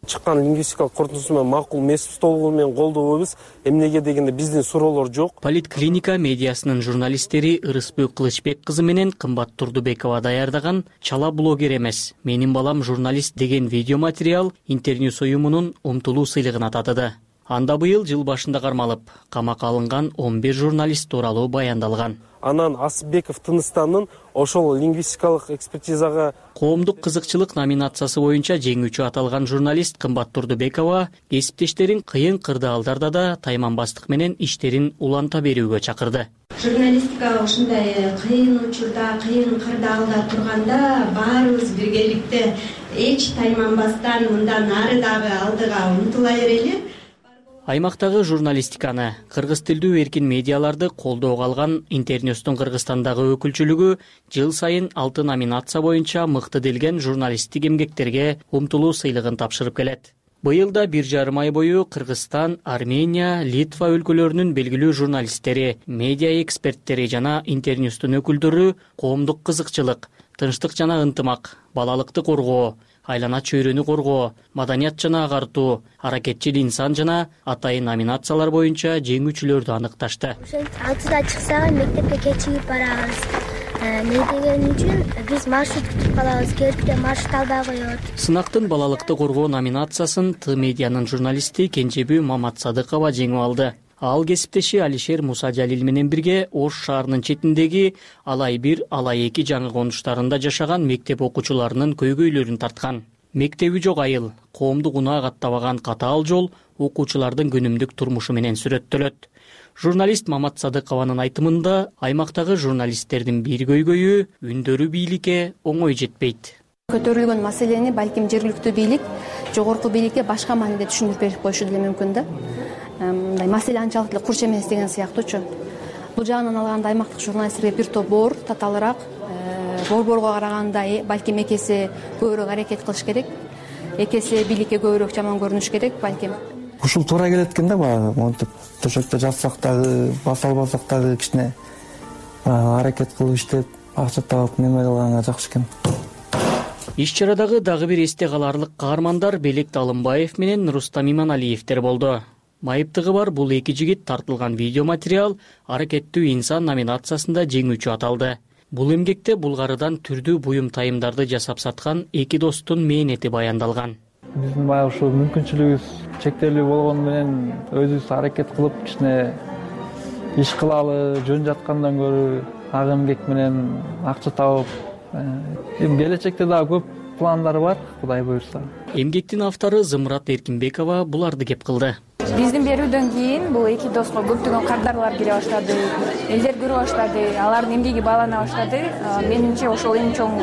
чыккан лингвистикалык корутундусу менен макул эмес толугу менен колдобойбуз. Эмнеге дегенде биздин суроолор жок.
Политклиника медиасынын журналисттери Ырысбек Кылычбек кызы менен Кымбат Турдубекова даярдаган «Чала блогер эмес, менин балам журналист» деген видеоматериал Интерньюс уюмунун умтулуу сыйлыгына татыды. Анда быйыл жыл башында кармалып, камакка алынган он бир журналист тууралуу баяндалган.
Анан Асыпбеков Тыныстанын ошол лингвистикалык экспертизага
коомдук кызыкчылык номинациясы боюнча жеңүүчү аталган журналист Кымбат Турдубекова кесиптештерин кыйын кырдаалдарда да тайманбастык менен иштерин уланта берүүгө чакырды.
Журналистика ушундай кыйын учурда, кыйын кырдаалда турганда баарыбыз биргеликте эч тайманбастан мындан ары дагы алдыга умтула берели.
Аймактагы журналистиканы, кыргыз тилдүү эркин медиаларды колдоого алган Интерньюстун Кыргызстандагы өкүлчүлүгү жыл сайын алты номинация боюнча мыкты делген журналисттик эмгектерге умтулуу сыйлыгын тапшырып келет. Быйыл да бир жарым ай бою Кыргызстан, Армения, Литва өлкөлөрүнүн белгилүү журналисттери, медиа эксперттери жана Интерньюстун өкүлдөрү коомдук кызыкчылык, тынчтык жана ынтымак, балалыкты коргоо, айлана чөйрөнү коргоо, маданият жана агартуу, аракетчил инсан жана атайын номинациялар боюнча жеңүүчүлөрдү аныкташты.
алтыда чыксак мектепке кечигип барабыз. Эмне деген үчүн биз маршрут күтүп калабыз, келипте маршрут албай коет.
Сынактын балалыкты коргоо номинациясын Т медианын журналисти Кенжебүү Маматсадыкова жеңип алды. Ал кесиптеши Алишер Мусажалил менен бирге Ош шаарынын четиндеги Алай бир, Алай эки жаңы конуштарында жашаган мектеп окуучуларынын көйгөйлөрүн тарткан. Мектеби жок айыл, коомдук унаа каттабаган катаал жол окуучулардын күнүмдүк турмушу менен сүрөттөлөт. Журналист Мамат Садыкованын айтымында аймактагы журналисттердин бир көйгөйү үндөрү бийликке оңой жетпейт.
Көтөрүлгөн маселени балким жергиликтүү бийлик, жогорку бийликке башка мааниде түшүндүрүп берип коюшу деле мүмкүн да. Мындай маселе анчалык эле курч эмес деген сыяктуучу. Бул жагынан алганда аймактык журналисттерге бир топ боор татаалыраак, борборго караганда балким экесе көбүрөөк аракет кылыш керек. Экесе бийликке көбүрөөк жаман көрүнүш керек балким.
Ушул туура келет экен да, баягы монтип төшөктө жатсак дагы, баса албасак дагы кичине аракет кылып иштеп, акча таап неме кылганга жакшы экен.
Иш-чарадагы дагы бир эсте каларлык каармандар Белек Талымбаев менен Рустам Иманалиевдер болду. Майыптыгы бар бул эки жигит тартылган видеоматериал аракеттүү инсан номинациясында жеңүүчү аталды. Бул эмгекте Булгарыдан түрдүү буюм тайымдарды жасап саткан эки достун мээнети баяндалган.
Биздин баягы ушул мүмкүнчүлүгүбүз чектелүү болгону менен өзүбүз аракет кылып кичине иш кылалы, жөн жаткандан көрө ак эмгек менен акча табып, эми келечекте дагы көп пландар бар, Кудай буйрса.
Эмгектин автору Зымрат Эркинбекова буларды кеп кылды.
Биздин берүүдөн кийин бул эки доско көптөгөн кардарлар келе баштады, элдер көрө баштады, алардын эмгеги баалана баштады. Менимче ошол эң чоң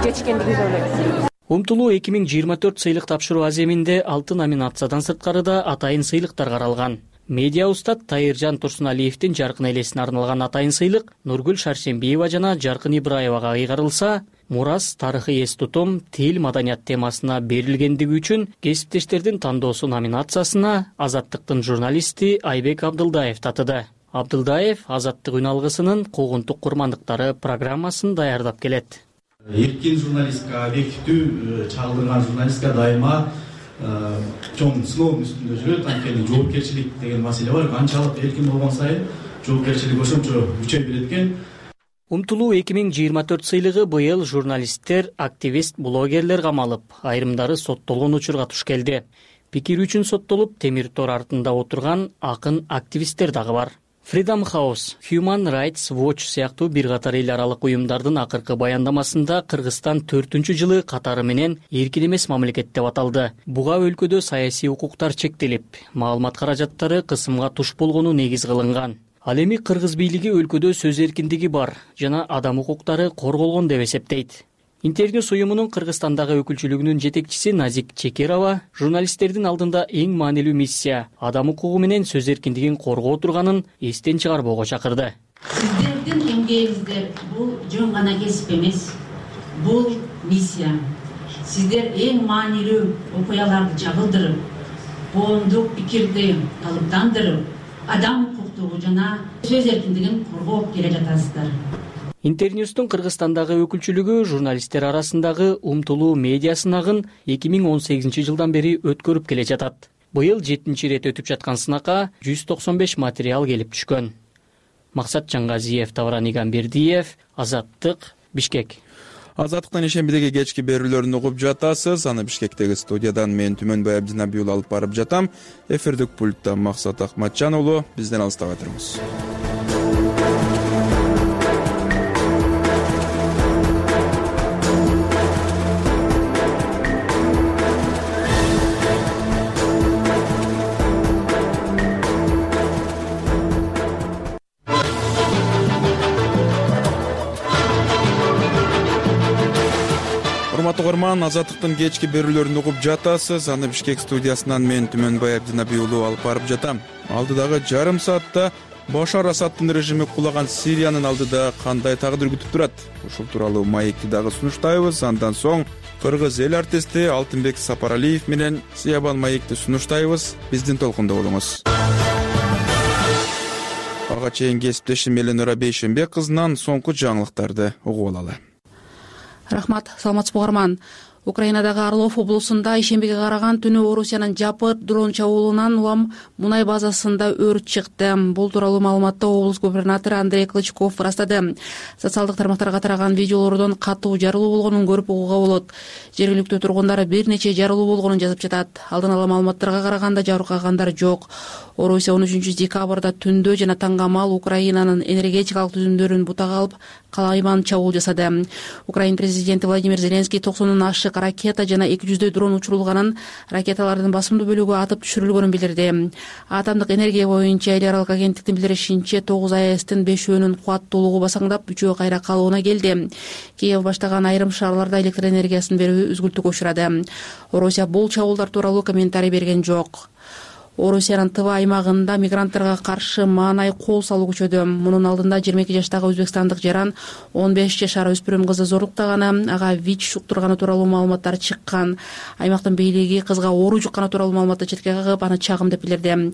жетишкендик деп ойлойм.
Умтулуу эки миң жыйырма төрт сыйлык тапшыруу аземинде алты номинациядан сырткары да атайын сыйлыктар каралган. Медиа устат Тайыржан Турсуналиевдин жаркын элесине арналган атайын сыйлык Нургүл Шаршембиева жана Жаркын Ибраевага ыйгарылса, Мурас тарыхый эс тутум, тил, маданият темасына берилгендиги үчүн кесиптештердин тандоосу номинациясына Азаттыктын журналисти Айбек Абдылдаев татыды. Абдылдаев Азаттык үн алгысынын куугунтук курмандыктары программасын даярдап келет.
Эркин журналистика, объективдүү чагылдырган журналистика дайыма чоң сыноонун үстүндө жүрөт. Анткени жоопкерчилик деген маселе бар. Канчалык эркин болгон сайын жоопкерчилик ошончо күчөй берет экен.
Умтулуу эки миң жыйырма төрт сыйлыгы быйыл журналисттер, активист, блогерлер камалып, айрымдары соттолгон учурга туш келди. Пикир үчүн соттолуп, темир тор артында отурган акын активисттер дагы бар. Freedom House, Human Rights Watch сыяктуу бир катар эл аралык уюмдардын акыркы баяндамасында Кыргызстан төртүнчү жылы катары менен эркин эмес мамлекет деп аталды. Буга өлкөдө саясий укуктар чектелип, маалымат каражаттары кысымга туш болгону негиз кылынган. Ал эми кыргыз бийлиги өлкөдө сөз эркиндиги бар жана адам укуктары корголгон деп эсептейт. Интерньюс уюмунун Кыргызстандагы өкүлчүлүгүнүн жетекчиси Назик Чекерова журналисттердин алдында эң маанилүү миссия адам укугу менен сөз эркиндигин коргоо турганын эстен чыгарбоого чакырды.
Сиздердин эмгегиңиздер бул жөн гана кесип эмес, бул миссия. Сиздер эң маанилүү окуяларды жагылдырып, коомдук пикирди калыптандырып, адам укуктугу жана сөз эркиндигин коргоп келе жатасыздар.
Интерньюстун Кыргызстандагы өкүлчүлүгү журналисттер арасындагы умтулуу медиа сынагын эки миң он сегизинчи жылдан бери өткөрүп келе жатат. Быйыл жетинчи ирет өтүп жаткан сынакка жүз токсон беш материал келип түшкөн. Максат Жаңгазиев, Тавран Игамбердиев, Азаттык, Бишкек.
Азаттыктан ишембидеги кечки берүүлөрүн угуп жатасыз. Аны Бишкектеги студиядан мен Түмөнбай Абдинабиул алып барып жатам. Эфирдик пультта Максат Акматжан уулу. Бизден алыстабай туруңуз. Урматтуу угарман, Азаттыктын кечки берүүлөрүн угуп жатасыз. Аны Бишкек студиясынан мен Түмөнбай Абдинабиулу алып барып жатам. Алдыдагы жарым саатта Башар Асадтын режими кулаган Сириянын алдыда кандай тагдыр күтүп турат? Ушул тууралуу маекти дагы сунуштайбыз. Андан соң кыргыз эл артисти Алтынбек Сапаралиев менен Сыябан маекти сунуштайбыз. Биздин толкунда болуңуз. Ага чейин кесиптешим Эленора Бейшенбек кызынан соңку жаңылыктарды угуп алалы.
Рахмат, саламатсызбы угарман. Украинадагы Орлов облусунда ишембиге караган түнү Орусиянын жапыр дрон чабуулунан улам мунай базасында өрт чыкты. Бул тууралуу маалыматты облус губернатору Андрей Клычков ырастады. Социалдык тармактарга тараган видеолордон катуу жарылуу болгонун көрүп угууга болот. Жергиликтүү тургундар бир нече жарылуу болгонун жазып жатат. Алдын ала маалыматтарга караганда жабыркагандар жок. Орусия он үчүнчү декабрда түндө жана таңгамал Украинанын энергетикалык түзүмдөрүн бутага алып калайман чабуул жасады. Украин президенти Владимир Зеленский токсондон ашык ракета жана эки жүздөй дрон учурулганын, ракеталардын басымдуу бөлүгү атып түшүрүлгөнүн билдирди. Атомдук энергия боюнча эл аралык агенттиктин билдиришинче тогуз АЭСтин бешөөнүн кубаттуулугу басаңдап, үчөө кайра калыбына келди. Киев баштаган айрым шаарларда электр энергиясын берүү үзгүлтүккө учурады. Орусия бул чабуулдар тууралуу комментарий берген жок. Орусиянын Тыва аймагында мигранттарга каршы маанай кол салуу күчөдө. Мунун алдында жыйырма эки жаштагы өзбекстандык жаран он беш жашар өспүрүм кызды зорлуктаганы, ага ВИЧ жуктурганы тууралуу маалыматтар чыккан. Аймактын бийлиги кызга оору жукканы тууралуу маалыматты четке кагып, аны чагым деп билдирди.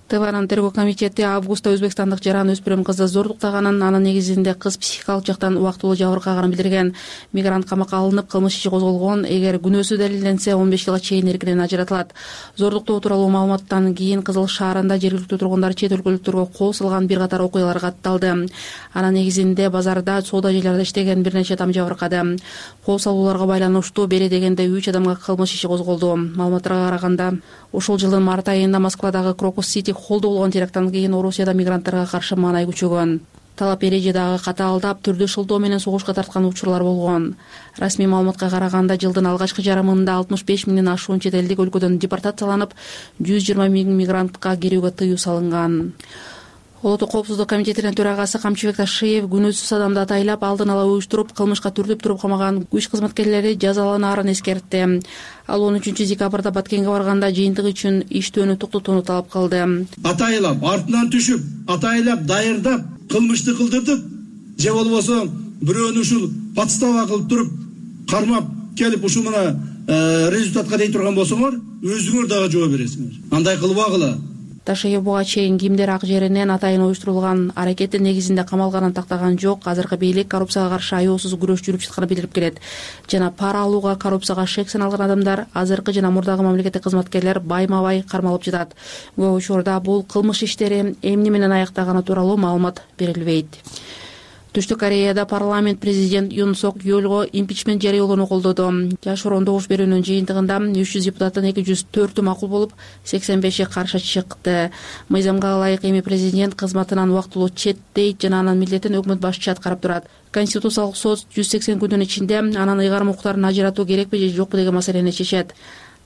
Тыванын тергөө комитети августта өзбекстандык жаран өспүрүм кызды зорлуктаганын, анын негизинде кыз психикалык жактан убактылуу жабыркаганын билдирген. Мигрант камакка алынып, кылмыш иши козголгон. Эгер күнөөсү далилденсе, он беш жылга чейин эркинен ажыратылат. Зорлуктоо тууралуу маалыматтан кийин Кызыл шаарында жергиликтүү тургундар чет өлкөлүктөргө кол салган бир катар окуялар катталды. Анын негизинде базарда, соода жайларда иштеген бир нече адам жабыркады. Кол салууларга байланыштуу бери дегенде үч адамга кылмыш иши козголду. Маалыматтарга караганда, ушул жылдын март айында Москвадагы Крокус Сити холлдо болгон теракттан кийин Орусияда мигранттарга каршы маанай күчөгөн. Талап эреже дагы катаалдап, түрдүү шылтоо менен согушка тарткан учурлар болгон. Расмий маалыматка караганда, жылдын алгачкы жарымында алтымыш беш миңден ашуун чет элдик өлкөдөн депортацияланып, жүз жыйырма миң мигрантка кирүүгө тыюу салынган. Улуттук коопсуздук комитетинин төрагасы Камчыбек Ташиев күнөөсүз адамды атайлап, алдын ала уюштуруп, кылмышка түртүп туруп камаган күч кызматкерлери жазаланаарын эскертти. Ал он үчүнчү декабрда Баткенге барганда жыйынтык үчүн иштөөнү токтотууну талап кылды.
Атайлап, артынан түшүп, атайлап, дайырдап, кылмышты кылдыртып, же болбосо бирөөнү ушул подстава кылып туруп, кармап келип ушул мына результатка дей турган болсоңор, өзүңөр дагы жооп бересиңер. Андай кылбагыла.
Ташиев буга чейин кимдер ак жеринен атайын уюштурулган аракеттин негизинде камалганын тактаган жок. Азыркы бийлик коррупцияга каршы аеосуз күрөш жүрүп жатканын билдирип келет. Жана пара алууга, коррупцияга шек саналган адамдар, азыркы жана мурдагы мамлекеттик кызматкерлер байма-бай кармалып жатат. Көп учурда бул кылмыш иштери эмне менен аяктаганы тууралуу маалымат берилбейт. Түштүк Кореяда парламент президент Юн Сок Йолго импичмент жарыялоону колдоду. Жашыруун добуш берүүнүн жыйынтыгында үч жүз депутаттын эки жүз төртү макул болуп, сексен беши каршы чыкты. Мыйзамга ылайык эми президент кызматынан убактылуу четтейт жана анын милдетин өкмөт башчысы аткарып турат. Конституциялык сот жүз сексен күндүн ичинде анын ыйгарым укуктарын ажыратуу керекпи же жокпу деген маселени чечет.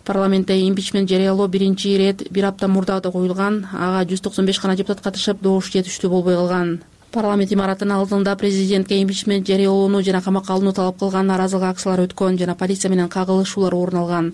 Парламентте импичмент жарыялоо биринчи ирет бир апта мурда да коюлган. Ага жүз токсон беш гана депутат катышып, добуш жетиштүү болбой калган. Парламент имаратынын алдында президентке импичмент жарыялоону жана камакка алууну талап кылган нааразылык акциялары өткөн жана полиция менен кагылышуулар орун алган.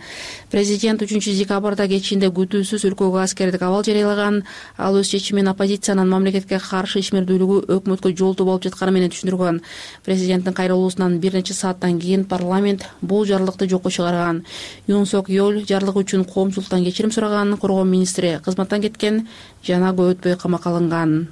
Президент үчүнчү декабрда кечинде күтүүсүз өлкөгө аскердик абал жарыялаган. Ал өз чечимин оппозициянын мамлекетке каршы ишмердүүлүгү өкмөткө жолтоо болуп жатканы менен түшүндүргөн. Президенттин кайрылуусунан бир нече сааттан кийин парламент бул жарлыкты жокко чыгарган. Юн Сок Йол жарлык үчүн коомчулуктан кечирим сураган, коргоо министри кызматтан кеткен жана көп өтпөй камакка алынган.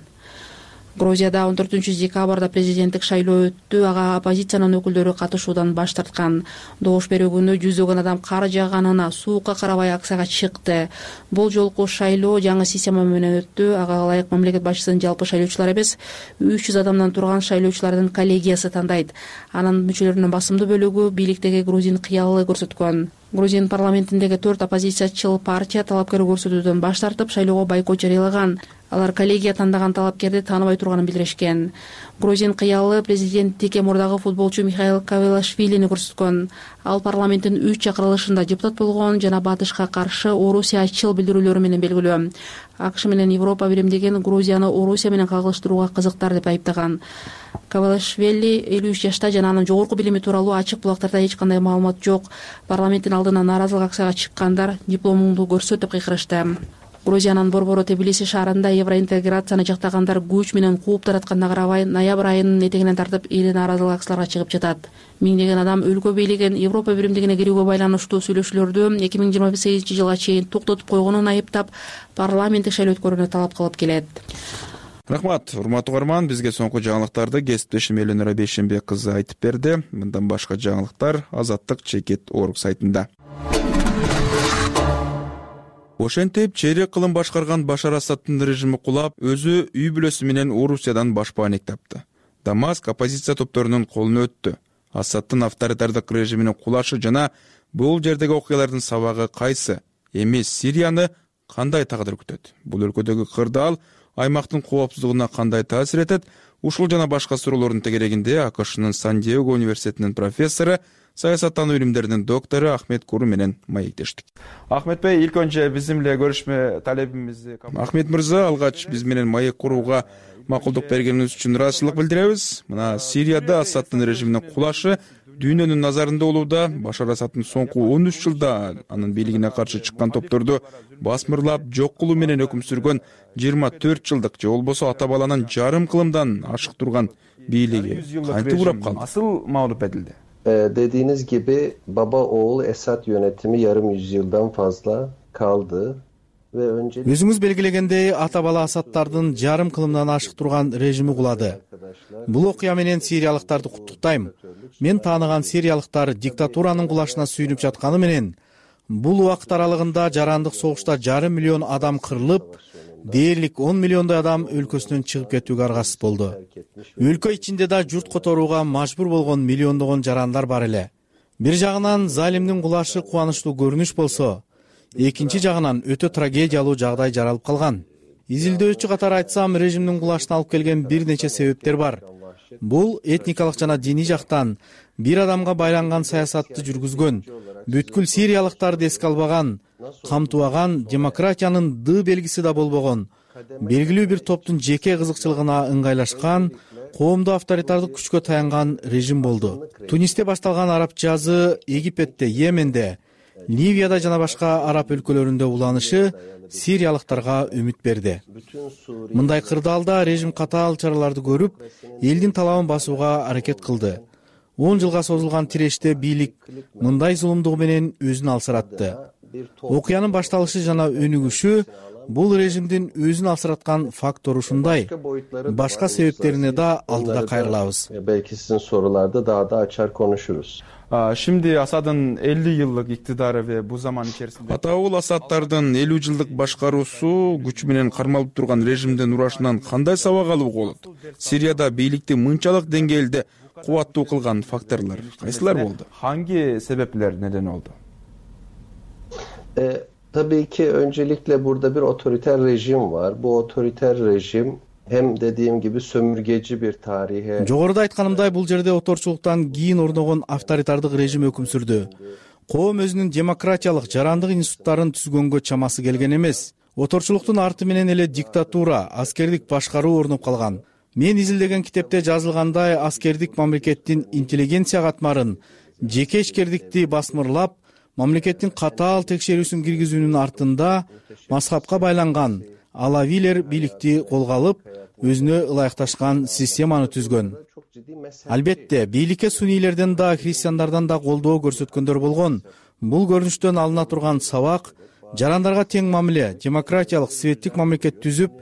Грузияда он төртүнчү декабрда президенттик шайлоо өттү. Ага оппозициянын өкүлдөрү катышуудан баш тарткан. Добуш берүү күнү жүздөгөн адам кар жааганына суукка карабай акцияга чыкты. Бул жолку шайлоо жаңы система менен өттү. Ага ылайык мамлекет башчысын жалпы шайлоочулар эмес, үч жүз адамдан турган шайлоочулардын коллегиясы тандайт. Анын мүчөлөрүнүн басымдуу бөлүгү бийликтеги грузин кыялы көрсөткөн. Грузин парламентиндеги төрт оппозициячыл партия талапкер көрсөтүүдөн баш тартып, шайлоого бойкот жарыялаган. Алар коллегия тандаган талапкерди тааныбай турганын билдиришкен. Грузин кыялы президенттикке мурдагы футболчу Михаил Кавелашвилини көрсөткөн. Ал парламенттин үч чакырылышында депутат болгон жана батышка каршы орусиячыл билдирүүлөрү менен белгилүү. АКШ менен Европа биримдигин Грузияны Орусия менен кагылыштырууга кызыктар деп айыптаган. Кавелашвили элүү үч жашта жана анын жогорку билими тууралуу ачык булактарда эч кандай маалымат жок. Парламенттин алдына нааразылык акцияга чыккандар дипломуңду көрсөт деп кыйкырышты. Грузиянын борбору Тбилиси шаарында евроинтеграцияны жактагандар күч менен кууп таратканына карабай, ноябрь айынын этегинен тартып эли нааразылык акцияларга чыгып жатат. Миңдеген адам өлкө бийлигин Европа биримдигине кирүүгө байланыштуу сүйлөшүүлөрдү эки миң жыйырма сегизинчи жылга чейин токтотуп койгонун айыптап, парламенттик шайлоо өткөрүүнү талап кылып келет.
Рахмат, урматтуу угарман, бизге соңку жаңылыктарды кесиптешим Элөнөр Бейшенбек кызы айтып берди. Мындан башка жаңылыктар Азаттык чекит орг сайтында. Ошентип чейрек кылым башкарган Башар Асадтын режими кулап, өзү үй бүлөсү менен Орусиядан башпаанек тапты. Дамаск оппозиция топторунун колуна өттү. Асадтын авторитардык режиминин кулашы жана бул жердеги окуялардын сабагы кайсы? Эми Сирияны кандай тагдыр күтөт? Бул өлкөдөгү кырдаал аймактын коопсуздугуна кандай таасир этет? Ушул жана башка суроолордун тегерегинде АКШнын Сан-Диего университетинин профессору, саясаттануу илимдеринин доктору Ахмет Куру менен маектештик. Ахмет Бey, ilk önce bizimle görüşme talebimizi... Ахмет мырза, алгач биз менен маек курууга макулдук бергениңиз үчүн ыраазычылык билдиребиз. Мына Сирияда Асадтын режиминин кулашы дүйнөнүн назарында болууда. Башар Асадтын соңку он үч жылда анын бийлигине каршы чыккан топторду басмырлап, жок кылуу менен өкүм сүргөн жыйырма төрт жылдык же болбосо ата баланын жарым кылымдан ашык турган бийлиги кантип урап калды? Asıl mağlup edildi.
Dediğiniz gibi baba oğul Esad yönetimi yarım yüzyıldan fazla kaldı ve önce...
Өзүңүз белгилегендей, ата бала Асадтардын жарым кылымдан ашык турган режими кулады. Бул окуя менен сириялыктарды куттуктайм. Мен тааныган сириялыктар диктатуранын кулашына сүйүнүп жатканы менен, бул убакыт аралыгында жарандык согушта жарым миллион адам кырылып, дээрлик он миллиондой адам өлкөсүнөн чыгып кетүүгө аргасыз болду. Өлкө ичинде да журт которууга мажбур болгон миллиондогон жарандар бар эле. Бир жагынан залимдин кулашы кубанычтуу көрүнүш болсо, экинчи жагынан өтө трагедиялуу жагдай жаралып калган. Изилдөөчү катары айтсам, режимдин кулашына алып келген бир нече себептер бар. Бул этникалык жана диний жактан бир адамга байланган саясатты жүргүзгөн, бүткүл сириялыктарды эске албаган, камтыбаган, демократиянын ды белгиси да болбогон, белгилүү бир топтун жеке кызыкчылыгына ыңгайлашкан, коомдуу авторитардык күчкө таянган режим болду. Тунисте башталган араб жазы Египетте, Йеменде, Ливияда жана башка араб өлкөлөрүндө уланышы сириялыктарга үмүт берди. Мындай кырдаалда режим катаал чараларды көрүп, элдин талабын басууга аракет кылды. он жылга созулган тиреште бийлик мындай зулумдугу менен өзүн алсыратты. Окуянын башталышы жана өнүгүшү бул режимдин өзүн алсыраткан фактору ушундай. Башка себептерине да алдыда кайрылабыз.
Belki sizin sorularda daha da açar konuşuruz.
Şimdi Asad'ın elli yıllık iktidarı ve bu zaman içerisinde Ataul Asad'tardın elүү жылдык башкаруусу күч менен кармалып турган режимдин урашынан кандай сабак алууга болот? Сирияда бийликти мынчалык деңгээлде кубаттуу кылган факторлор кайсылар болду? Hangi sebepler neden oldu?
E, tabii ki öncelikle burada bir otoriter rejim var. Bu otoriter rejim hem dediğim gibi sömürgeci bir tarihe...
Жогоруда айтканымдай, бул жерде оторчулуктан кийин орногон авторитардык режим өкүм сүрдү. Коом өзүнүн демократиялык, жарандык институттарын түзгөнгө чамасы келген эмес. Оторчулуктун арты менен эле диктатура, аскердик башкаруу орноп калган. Мен изилдеген китепте жазылгандай, аскердик мамлекеттин интеллигенция катмарын, жеке ишкердикти басмырлап, мамлекеттин катаал текшерүүсүн киргизүүнүн артында мазхабка байланган алавилер бийликти колго алып, өзүнө ылайыкташкан системаны түзгөн. Албетте, бийликке суннийлерден да, христиандардан да колдоо көрсөткөндөр болгон. Бул көрүнүштөн алына турган сабак, жарандарга тең мамиле, демократиялык, светтик мамлекет түзүп,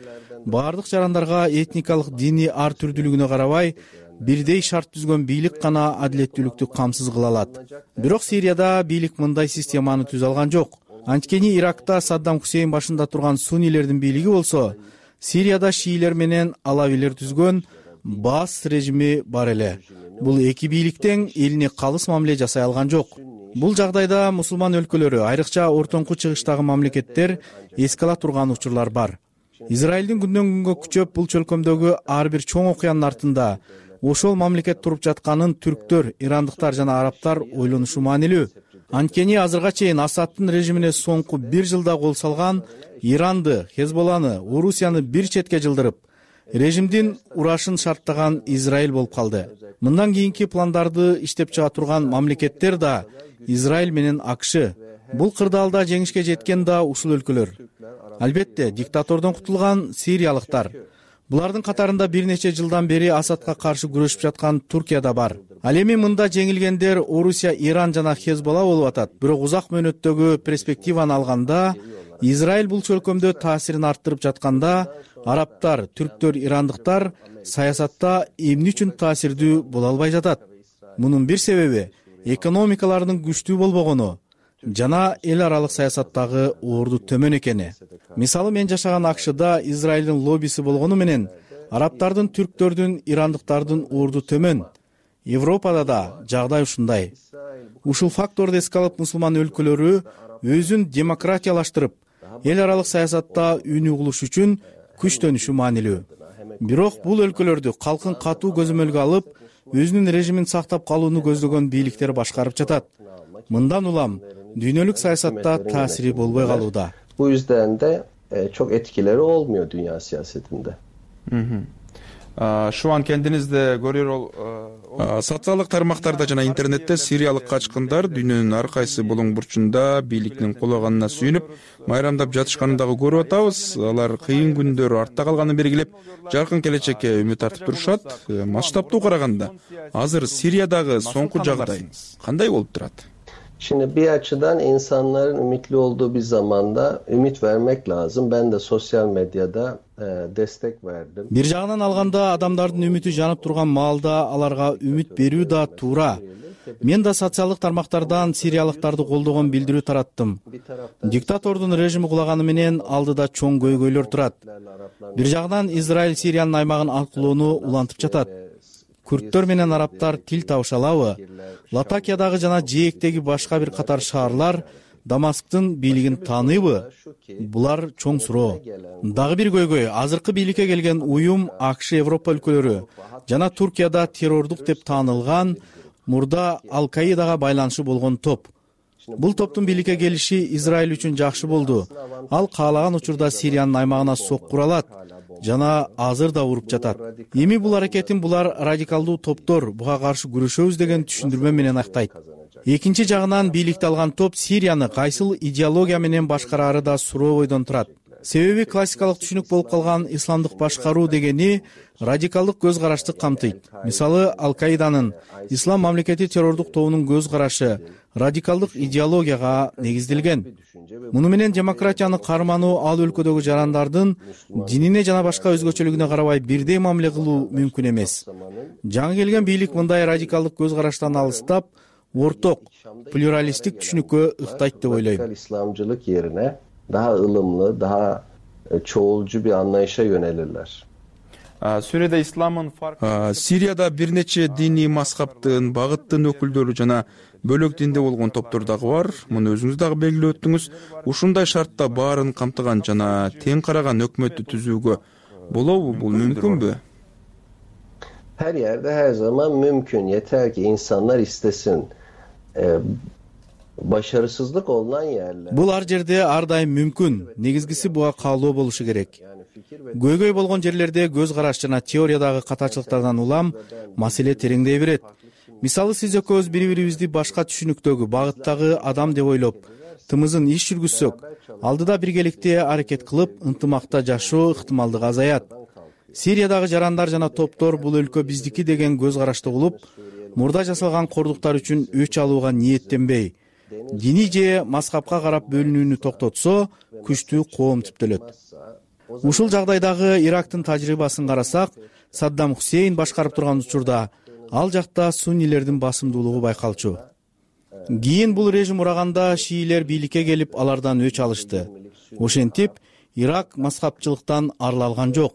баардык жарандарга этникалык диний ар түрдүүлүгүнө карабай бирдей шарт түзгөн бийлик гана адилеттүүлүктү камсыз кыла алат. Бирок Сирияда бийлик мындай системаны түзө алган жок. Анткени Иракта Саддам Хусейн башында турган суннилердин бийлиги болсо, Сирияда шиилер менен алавилер түзгөн Баас режими бар эле. Бул эки бийликтен элине калыс мамиле жасай алган жок. Бул жагдайда мусулман өлкөлөрү, айрыкча ортоңку чыгыштагы мамлекеттер эске ала турган учурлар бар. Израилдин күндөн күнгө күчөп бул чөлкөмдөгү ар бир чоң окуянын артында ошол мамлекет туруп жатканын түрктөр, ирандыктар жана арабтар ойлонушу маанилүү. Анткени азырга чейин Асадтын режимине соңку бир жылда кол салган Иранды, Хезболланы, Орусияны бир четке жылдырып, режимдин урашын шарттаган Израиль болуп калды. Мындан кийинки пландарды иштеп чыга турган мамлекеттер да Израиль менен АКШ. Бул кырдаалда жеңишке жеткен да ушул өлкөлөр. Албетте, диктатордон кутулган сириялыктар. Булардын катарында бир нече жылдан бери Асадка каршы күрөшүп жаткан Туркия да бар. Ал эми мында жеңилгендер Орусия, Иран жана Хезболла болуп атат. Бирок узак мөөнөттөгү перспективаны алганда, Израиль бул чөлкөмдө таасирин арттырып жатканда, арабтар, түрктөр, ирандыктар саясатта эмне үчүн таасирдүү боло албай жатат? Мунун бир себеби экономикаларынын күчтүү болбогону жана эл аралык саясаттагы орду төмөн экени. Мисалы, мен жашаган АКШда Израилдин лоббиси болгону менен арабтардын, түрктөрдүн, ирандыктардын орду төмөн. Европада да жагдай ушундай. Ушул факторду эске алып, мусулман өлкөлөрү өзүн демократиялаштырып, эл аралык саясатта үн угулуш үчүн күчтөнүшү маанилүү. Бирок бул өлкөлөрдү калкын катуу көзөмөлгө алып, өзүнүн режимин сактап калууну көздөгөн бийликтер башкарып жатат. Мындан улам дүйнөлүк саясатта таасири болбой калууда.
Bu yüzden de e, çok etkileri olmuyor dünya siyasetinde.
Şu an kendiniz de görüyor ol. Социалдык тармактарда жана интернетте сириялык качкындар дүйнөнүн ар кайсы болоң бурчунда бийликтин кулаганына сүйүнүп, майрамдап жатышканын дагы көрүп атабыз. Алар кыйын күндөрү артта калганын белгилеп, жаркын келечекке үмүт артып турушат. Масштабтуу караганда, азыр Сириядагы соңку жагдай кандай болуп турат?
Şimdi bir açıdan insanların ümitli olduğu bir zamanda ümit vermek lazım. Ben de sosyal medyada e, destek verdim.
Бир жагынан алганда, адамдардын үмүтү жанып турган маалда аларга үмүт берүү да туура. Мен да социалдык тармактардан сириялыктарды колдогон билдирүү тараттым. Диктатордун режими кулаганы менен алдыда чоң көйгөйлөр турат. Бир жагынан Израиль Сириянын аймагын алкылоону улантып жатат. Күрттөр менен арабтар тил табыша алабы? Латакиядагы жана жээктеги башка бир катар шаарлар Дамасктын бийлигин тааныйбы? Булар чоң суроо. Дагы бир көйгөй, азыркы бийликке келген уюм АКШ, Европа өлкөлөрү жана Туркияда террордук деп таанылган мурда Ал-Каидага байланышы болгон топ. Бул топтун бийликке келиши Израиль үчүн жакшы болду. Ал каалаган учурда Сириянын аймагына сок кура алат жана азыр да уруп жатат. Эми бул аракетин булар радикалдуу топтор буга каршы күрөшөбүз деген түшүндүрмө менен актайт. Экинчи жагынан бийликти алган топ Сирияны кайсыл идеология менен башкарары да суроо бойдон турат. Себеби классикалык түшүнүк болуп калган исламдык башкаруу дегени радикалдык көз карашты камтыйт. Мисалы, Ал-Каиданын ислам мамлекети террордук тобунун көз карашы радикалдык идеологияга негизделген. Муну менен демократияны кармануу ал өлкөдөгү жарандардын динине жана башка өзгөчөлүгүнө карабай бирдей мамиле кылуу мүмкүн эмес. Жаңы келген бийлик мындай радикалдык көз караштан алыстап, орток, плюралисттик түшүнүккө ыктайт деп ойлойм.
İslamcılık yerine daha ılımlı, daha çoğulcu bir anlayışa yönelirler.
Suriye'de İslam'ın farkı... Siriyada bir neçe dini mazhabtın, bagıttın öküldörü jana bölök dinde болгон топтор дагы бар. Муну өзүңүз дагы белгилеп өттүңүз. Ушундай шартта баарын камтыган жана тең караган өкмөттү түзүүгө болобу? Бул мүмкүнбү?
Her yerde her zaman mümkün. Yeter ki insanlar istesin. Ee, başarısızlık olunan yerler.
Бул ар жерде ар дайым мүмкүн. Негизгиси буга каалоо болушу керек. Көйгөй болгон жерлерде көз караш жана теориядагы катачылыктардан улам маселе тереңдей берет. Мисалы, сиз экөөбүз бири-бирибизди башка түшүнүктөгү, багыттагы адам деп ойлоп, тымызын иш жүргүзсөк, алдыда биргеликте аракет кылып, ынтымакта жашоо ыктымалдыгы азаят. Сириядагы жарандар жана топтор бул өлкө биздики деген көз карашты улуп, мурда жасалган кордуктар үчүн өч алууга ниеттенбей, дини же мазхабка карап бөлүнүүнү токтотсо, күчтүү коом түптөлөт. Ушул жагдайдагы Ирактын тажрыйбасын карасак, Саддам Хусейн башкарып турган учурда ал жакта суннилердин басымдуулугу байкалчу. Кийин бул режим ураганда шиилер бийликке келип, алардан өч алышты. Ошентип, Ирак мазхабчылыктан арыла алган жок.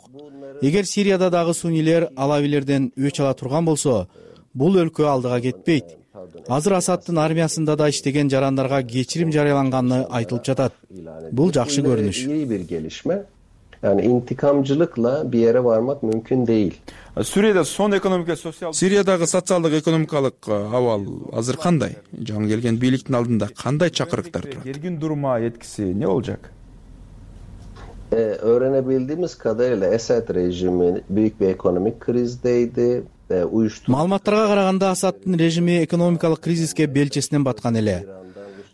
Эгер Сирияда дагы суннилер алавилерден өч ала турган болсо, бул өлкө алдыга кетпейт. Азыр Асадтын армиясында да иштеген жарандарга кечирим жарыяланганы айтылып жатат. Бул жакшы көрүнүш.
İyi bir gelişme. Yani intikamcılıkla bir yere varmak mümkün değil.
Suriye'de son ekonomik ve sosyal... Suriye'dagi sotsialдык экономикалык абал азыр кандай? Жаңы келген бийликтин алдында кандай чакырыктар турат? Келген duruma etkisi ne olacak?
Ee, öğrenebildiğimiz kadarıyla Esad rejimi büyük bir ekonomik krizdeydi. Ee, uyuşturucu...
Маалыматтарга караганда Асадтын режими экономикалык кризиске белчесинен баткан эле.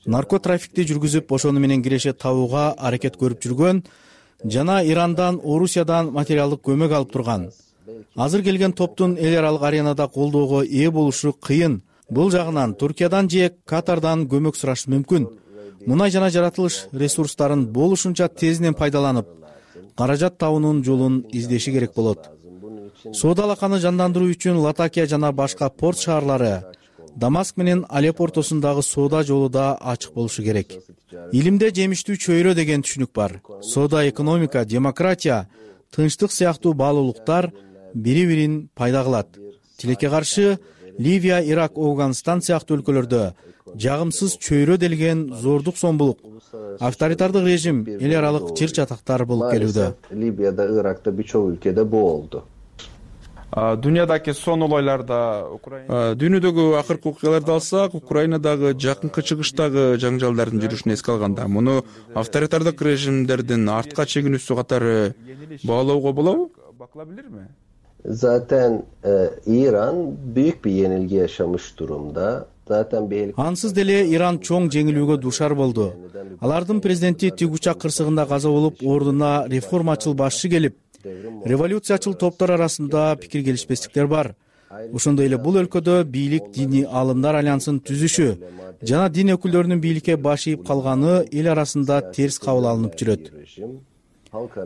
Наркотрафикти жүргүзүп, ошону менен киреше табууга аракет көрүп жүргөн жана Ирандан, Орусиядан материалдык көмөк алып турган. Азыр келген топтун эл аралык аренада колдоого ээ болушу кыйын. Бул жагынан Туркиядан же Катардан көмөк сурашы мүмкүн. Мунай жана жаратылыш ресурстарын болушунча тезинен пайдаланып, каражат табуунун жолун издеши керек болот. Соода алаканы жандандыруу үчүн Латакия жана башка порт шаарлары, Дамаск менен Алеп ортосундагы соода жолу да ачык болушу керек. Илимде жемиштүү чөйрө деген түшүнүк бар. Соода, экономика, демократия, тынчтык сыяктуу баалуулуктар бири-бирин пайда кылат. Тилекке каршы Ливия, Ирак, Афганистан сыяктуу өлкөлөрдө жагымсыз чөйрө делген зордук сомбулук, авторитардык режим, эл аралык чыр чатактар болуп келүүдө.
Libya'da, Irak'ta birçok ülkede bu oldu.
Dünyadaki son olaylarda дүйнөдөгү акыркы окуяларды алсак, Украинадагы жакынкы чыгыштагы жаңжалдардын жүрүшүн эске алганда, муну авторитардык режимдердин артка чегинүүсү катары баалоого болобу? Bakılabilir?
Zaten e, İran büyük bir yenilgi yaşamış durumda. Zaten bir
Ансыз деле Иран чоң жеңилүүгө душар болду. Алардын президенти Тигучак кырсыгында каза болуп, ордуна реформачыл башчы келип, революциячыл топтор арасында пикир келишпестиктер бар. Ошондой эле бул өлкөдө бийлик диний алымдар альянсын түзүшү жана дин өкүлдөрүнүн бийликке баш ийип калганы эл арасында терс кабыл алынып жүрөт.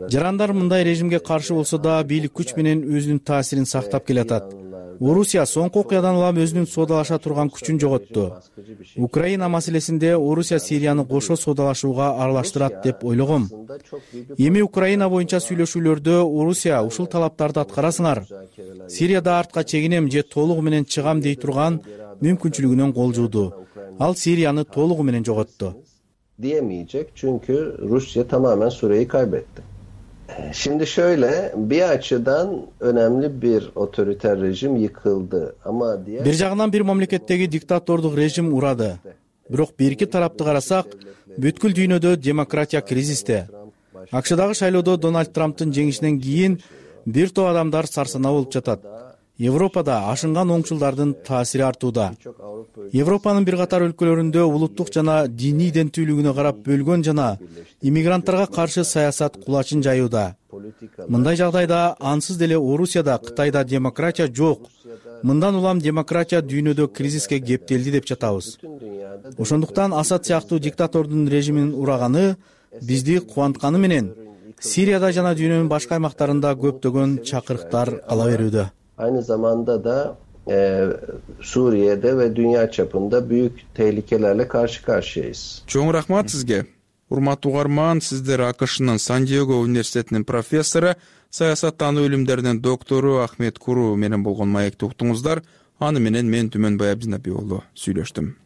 Жарандар мындай режимге каршы болсо да бийлик күч менен өзүнүн таасирин сактап келатат. Орусия соңку окуядан улам өзүнүн соодалаша турган күчүн жоготту. Украина маселесинде Орусия Сирияны кошо соодалашууга аралаштырат деп ойлогом. Эми Украина боюнча сүйлөшүүлөрдө Орусия ушул талаптарды аткарасыңар, Сирияда артка чегинем же толугу менен чыгам дей турган мүмкүнчүлүгүнөн кол жууду. Ал Сирияны толугу менен жоготту.
Diyemeyecek çünkü Rusya tamamen Suriye'yi kaybetti. Şimdi şöyle, bir açıdan önemli bir otoriter rejim yıkıldı ama diğer...
Bir жагынан bir мамлекеттеги диктатордук режим урады. Бирок бирки тарапты карасак, бүткүл дүйнөдө демократия кризисте. АКШдагы шайлоодо Дональд Трамптын жеңишинен кийин бир топ адамдар сарсанаа болуп жатат. Европада ашынган оңчулдардын таасири артууда. Европанын бир катар өлкөлөрүндө улуттук жана диний иденттүүлүгүнө карап бөлгөн жана иммигранттарга каршы саясат кулачын жаюуда. Мындай жагдайда ансыз деле Орусияда, Кытайда демократия жок. Мындан улам демократия дүйнөдө кризиске кептелди деп жатабыз. Ошондуктан Асад сыяктуу диктатордун режиминин ураганы бизди кубантканы менен Сирияда жана дүйнөнүн башка аймактарында көптөгөн чакырыктар ала берүүдө.
Aynı zamanda da e, Suriye'de ve dünya çapında büyük tehlikelerle karşı karşıyayız.
Çoğun rahmat sizge. Урматтуу угарман, сиздер АКШнын Сан-Диего университетинин профессору, саясаттануу илимдеринин доктору Ахмет Куру менен болгон маекти уктуңуздар. Аны менен мен Түмөнбай Абдинапи уулу сүйлөштүм.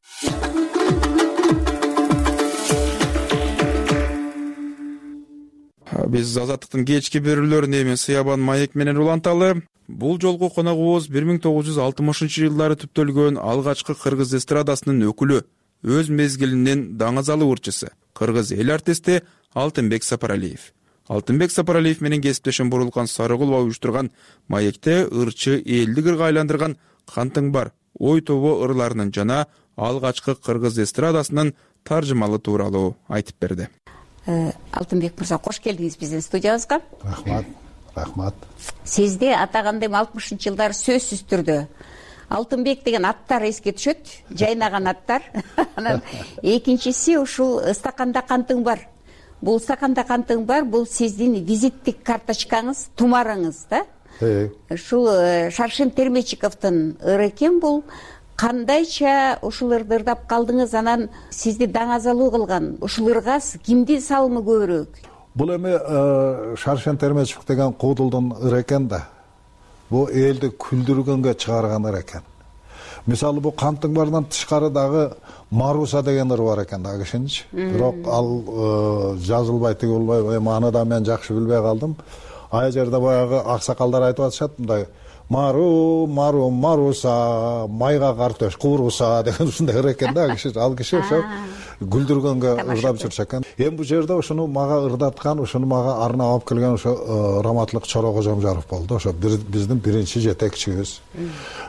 Биз Азаттыктын кечки берүүлөрүн эми Сыябан маек менен уланталы. Бул жолку коногубуз бир миң тогуз жүз алтымышынчы жылдары түптөлгөн алгачкы кыргыз эстрадасынын өкүлү, өз мезгилинин даңазалуу ырчысы, кыргыз эл артисти Алтынбек Сапаралиев. Алтынбек Сапаралиев менен кесиптешим Бурулкан Сарыгулова уюштурган маекте ырчы элди кырга айландырган Кантың бар ой тобу ырларынын жана алгачкы кыргыз эстрадасынын таржымалы тууралуу айтып берди.
Алтынбек мырза, кош келдиңиз биздин студиябызга.
Рахмат. Рахмат.
Сизде атагандем алтымышынчы жылдары сөзсүз түрдө Алтынбек деген аттар эске түшөт, жайнаган аттар. Анан экинчиси ушул Ыстаканда кантың бар. бул стаканда кантың бар, бул сиздин визиттик карточкаңыз, тумарыңыз да. Ушул Шаршен Термечиковдун ыры экен бул. Кандайча ушуларды ырдап калдыңыз, анан сизди даңазалуу кылган ушул ырга кимдин салымы көбүрөөк?
Бул эми Шаршен Термечиков деген куудулдун ыры экен да. Бул элди күлдүргөнгө чыгарган ыр экен. Мисалы бул кантың барынан тышкары дагы Маруса деген ыр бар экен да кишинчи. Бирок ал жазылбай тиги болбой, эми аны да мен жакшы билбей калдым. Ай жерде баягы аксакалдар айтып атышат мындай: Мару, Мару, Маруса, майга картош кууруса деген ушундай ыр экен да киши. Ал киши ошо күлдүргөнгө ырдап жүрчү экен. Эми бул жерде ошону мага ырдаткан, ошону мага арнап алып келген ошо Раматлык Чоро Кожомжаров болду. Ошо биздин биринчи жетекчибиз.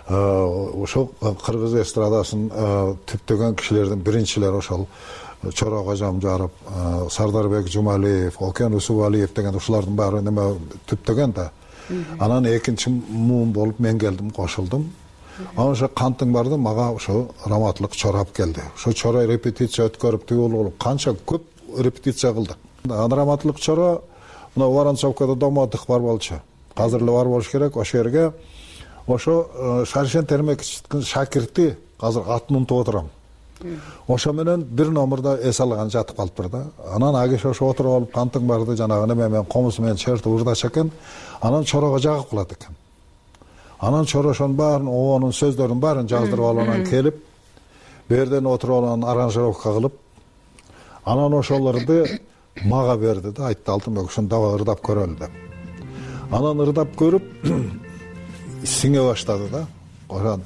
Ошо кыргыз эстрадасын түптөгөн кишилердин биринчилери ошол Чоро Кожомжаров, Сардарбек Жумалиев, Окен Усубалиев деген ушулардын баары неме түптөгөн да. Анан экинчи муун болуп мен келдим, кошулдум. Анан ошо кантың барды мага ошо Раматлык Чоро алып келди. Ошо Чоро репетиция өткөрүп тигил болуп канча көп репетиция кылдык. Анан Раматлык Чоро мына Воронцовкада домоддых бар болчу. Азыр эле бар болуш керек. Ошол жерге ошо Шаршен Термечиковдун шакирти азыр атын унутуп отурам. Ошо менен бир номерде эс алган жатып калыптыр да. Анан ал киши ошо отуруп алып кантың барды жанагы неме менен комузу менен чертип ырдаш экен. Анан Чорого жагып калат экен. Анан Чоро ошонун баарын, оонун сөздөрүнүн баарын жаздырып алып анан келип, берден отуруп алып анан аранжировка кылып, анан ошолорду мага берди да, айтты Алтынбек ушуну дагы ырдап көрөлү деп. Анан ырдап көрүп сиңе баштады да. Ошон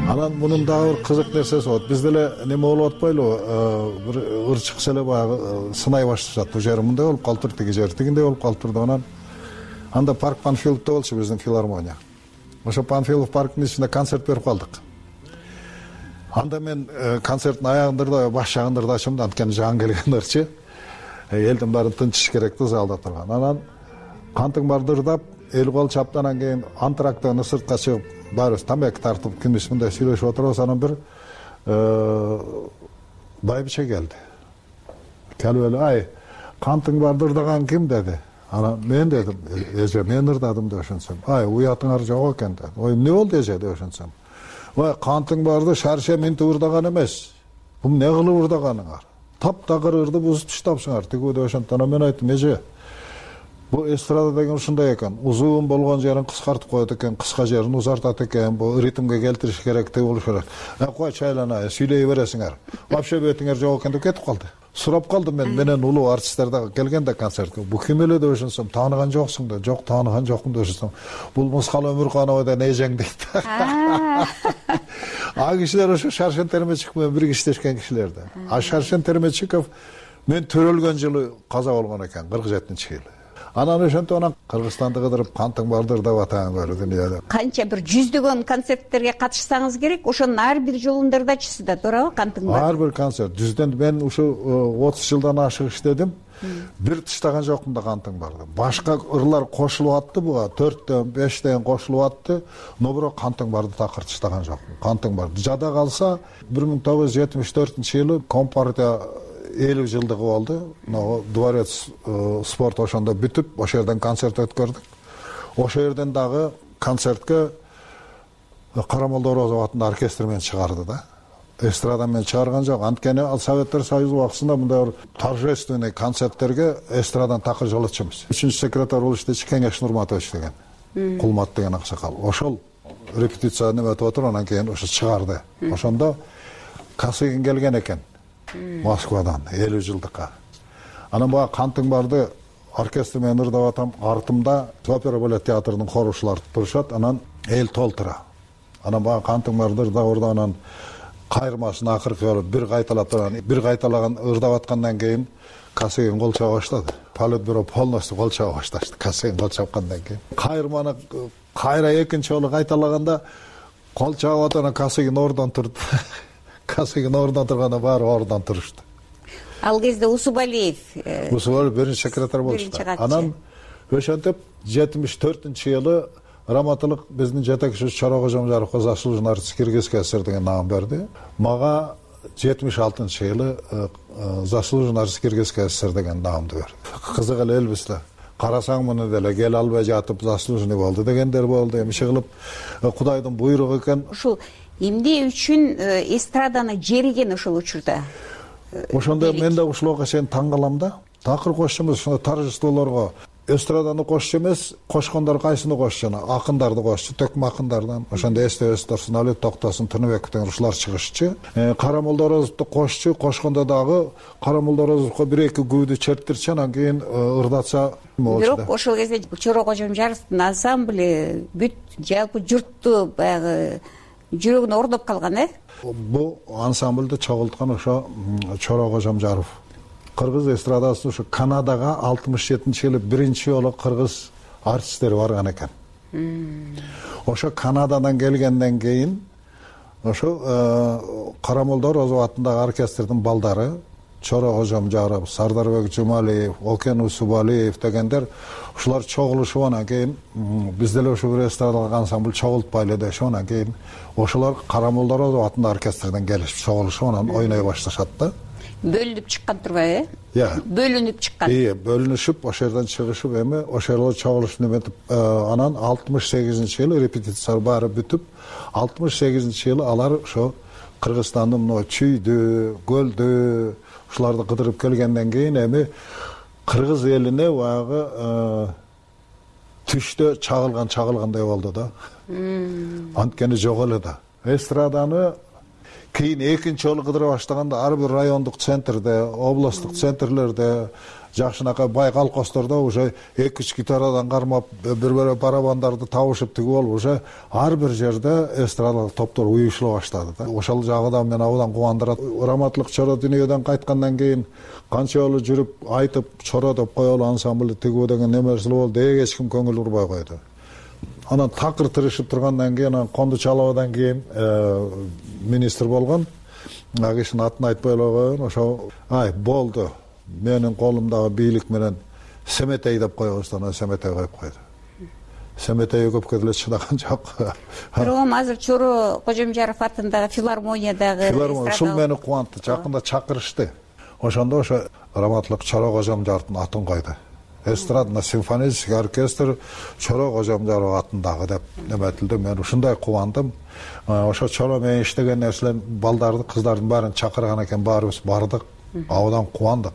Анан мунун дагы бир кызык нерсеси болот. Бизде эле неме болуп атпайлыбы? Бир ыр чыкса эле баягы сынай башташат. Бул жери мындай болуп калыптыр, тиги жери тигиндей болуп калыптыр деп анан анда парк Панфиловдо болчу биздин филармония. Ошо Панфилов парктын ичинде концерт берип калдык. Анда мен концерттин аягында баш жагында ырдашым да, анткени жаңы келген ырчы. Элдин баары тынчыш керек да залда турган. Анан кантың барды ырдап, эл кол чаптанан кийин антрактан сыртка чыгып, баарыбыз тамак тартып, кимис мындай сүйлөшүп отурабыз. Анан бир байбиче келди. Келип эле: "Ай, кантың барды ырдаган ким?" деди. Анан мен дедим: "Эже, мен ырдадым" деп ошентсем. "Ай, уятыңар жок экен" деди. "Ой, эмне болду эже" деп ошентсем. "Ой, кантың барды Шарше минтип ырдаган эмес. Бул эмне кылып ырдаганыңар? Таптагыр ырды бузуп таштапсыңар" тигүү деп ошентти. Анан мен айттым: "Эже, бу эстрада деген ушундай экен. Узун болгон жерин кыскартып коет экен, кыска жерин узартат экен. Бу ритмге келтириш керек, тиги болуш керек. Э, кой чайлана, сүйлөй бересиңер. Вообще бетиңер жок экен" деп кетип калды. Сурап калдым мен, менен улуу артисттер да келгенде концертке. "Бу ким эле" деп ошентсем, "Тааныган жоксуң" деп. "Жок, тааныган жокмун" деп ошентсем. "Бул Мускал Өмүрканова деген эжең" дейт. А кишилер ошо Шаршен Термечиков менен бирге иштешкен кишилер да. А Шаршен Термечиков мен төрөлгөн жылы каза болгон экен, кырк жетинчи жылы. Анан ошентип анан Кыргызстанды кыдырып кантың барды ырдап атаң көрдү дүйнөдө.
Канча бир жүздөгөн концерттерге катышсаңыз керек, ошонун ар бир жолунда ырдачысыз да, туурабы кантың барды?
Ар бир концерт. Жүздөн мен ушу отуз жылдан ашык иштедим. Бир тыштаган жокмун да кантың барды. Башка ырлар кошулуп атты буга, төрттөн, бештен кошулуп атты, но бирок кантың барды такыр тыштаган жокмун. Кантың барды. Жада калса бир миң тогуз жүз жетимиш төртүнчү жылы Компартия элүү жылдыгы болду. Дворец спорт ошондо бүтүп, ошол жерден концерт өткөрдүк. Ошол жерден дагы концертке Карамолдо Орозов атындагы оркестр менен чыгарды да. Эстрада менен чыгарган жок. Анткени ал Советтер Союзу убактысында мындай торжественный концерттерге эстрадан такыр жолотчумуз. Үчүнчү секретарь болуп иштечү Кеңеш Нурматович деген. Кулмат деген аксакал. Ошол репетиция неметип отуруп, анан кийин ошо чыгарды. Ошондо Касыгин келген экен. Москвадан элүү жылдыкка. Анан бага кантың барды оркестр менен ырдап атам, артымда опера балет театрынын хорушулары турушат, анан эл толтура. Анан бага кантың барды ырдап ырдап анан кайырмасын акыркы болуп бир кайталап турган, бир кайталаган ырдап аткандан кийин Касыгин кол чаба баштады. Политбюро полностью кол чаба башташты. Касыгин кол чапкандан кийин кайырманы кайра экинчи жолу кайталаганда кол чабып атып анан Касыгин ордон турду. Косыгин ордуна турганда баары ордунан турушту.
Ал кезде Усубалиев
Усубалиев биринчи секретарь болчу. Анан ошентип жетимиш төртүнчү жылы Раматылык биздин жетекчибиз Чора Кожомжаровго заслуженный артист Кыргызский СССР деген наам берди. Мага жетимиш алтынчы жылы заслуженный артист Кыргызский СССР деген наамды берди. Кызык эле элбиз да. Карасаң муну деле кел албай жатып заслуженный болду дегендер болду. Эми чыгылып Кудайдын буйругу экен.
Ушул эмне үчүн эстраданы жериген ошол учурда?
Ошондо мен да ушул окуя чейин таң калам да. Такыр кошчу эмес, ошондо торжестволорго эстраданы кошчу эмес, кошкондор кайсыны кошчу? Акындарды кошчу, төкмө акындардан. Ошондо эстебес Турсун Алиев, Токтосун, Тыныбеков деген ушулар чыгышчу. Кара Молдорозовду кошчу, кошкондо дагы Кара Молдорозовго бир эки күүдү чертирчи, анан кийин ырдатса болчу.
Бирок ошол кезде Чора Кожомжаровдун ансамбль бүт жалпы журтту баягы жүрөгүнө ордоп калган, э?
Бул ансамбльди чогулткан ошо Чора Кожомжаров. Кыргыз эстрадасына ушу Канадага алтымыш жетинчи жылы биринчи жолу кыргыз артисттери барган экен. Ошо Канададан келгенден кийин ошо Кара Молдорозов атындагы оркестрдин балдары Чора Кожомжаров, Сардарбек Жумалиев, Окен Усубалиев дегендер ушулар чогулушуп анан кийин биз деле ошо бир эстрадалык ансамбль чогултпайлы дешип анан кийин ошолор Кара Молдорозов атындагы оркестрден келишип чогулушуп анан ойной башташат да.
Бөлүнүп чыккан турбайбы, э?
Иә.
Бөлүнүп чыккан.
Иә, бөлүнүшүп, ошол жерден чыгышып, эми ошол жерде чогулуш неметип, анан алтымыш сегизинчи жылы репетиция баары бүтүп, алтымыш сегизинчи жылы алар ошо Кыргызстандын мына Чүйдү, Көлдү, ушуларды кыдырып келгенден кийин эми кыргыз элине баягы түштө чагылган чагылгандай болду да. Анткени жок эле да. Эстраданы кийин экинчи жолу кыдыра баштаганда ар бир райондук центрде, областтык центрлерде, жакшынакай бай колхоздордо уже эки үч гитарадан кармап, бир-бири барабандарды табышып тигип алып, уже ар бир жерде эстрадалык топтор уюшула баштады да. Ошол жагы да мени абдан кубандырат. Раматылык Чора дүйнөдөн кайткандан кийин канча жолу жүрүп айтып, Чора деп коелу ансамбль тигүү деген немерси болду, эч ким көңүл бурбай койду. Анан такыр тырышып тургандан кийин, анан Кондучаловдон кийин министр болгон, ал кишинин атын айтпай эле коеюн, ошо ай болду. Менин колумдагы бийлик менен Семетей деп коебуз, анан Семетей коюп койду. Семетей көпкө деле чыдаган жок.
Бирок азыр Чора Кожомжаров атындагы филармониядагы
филармония ушул мени кубантты. Жакында чакырышты. Ошондо ошо Раматылык Чора Кожомжаровдун атын койду. Эстрадный симфонический оркестр Чора Кожомжаров атындагы деп неметилди. Мен ушундай кубандым. Ошо Чора менен иштеген нерселер балдарды, кыздардын баарын чакырган экен, баарыбыз бардык. Абдан кубандык.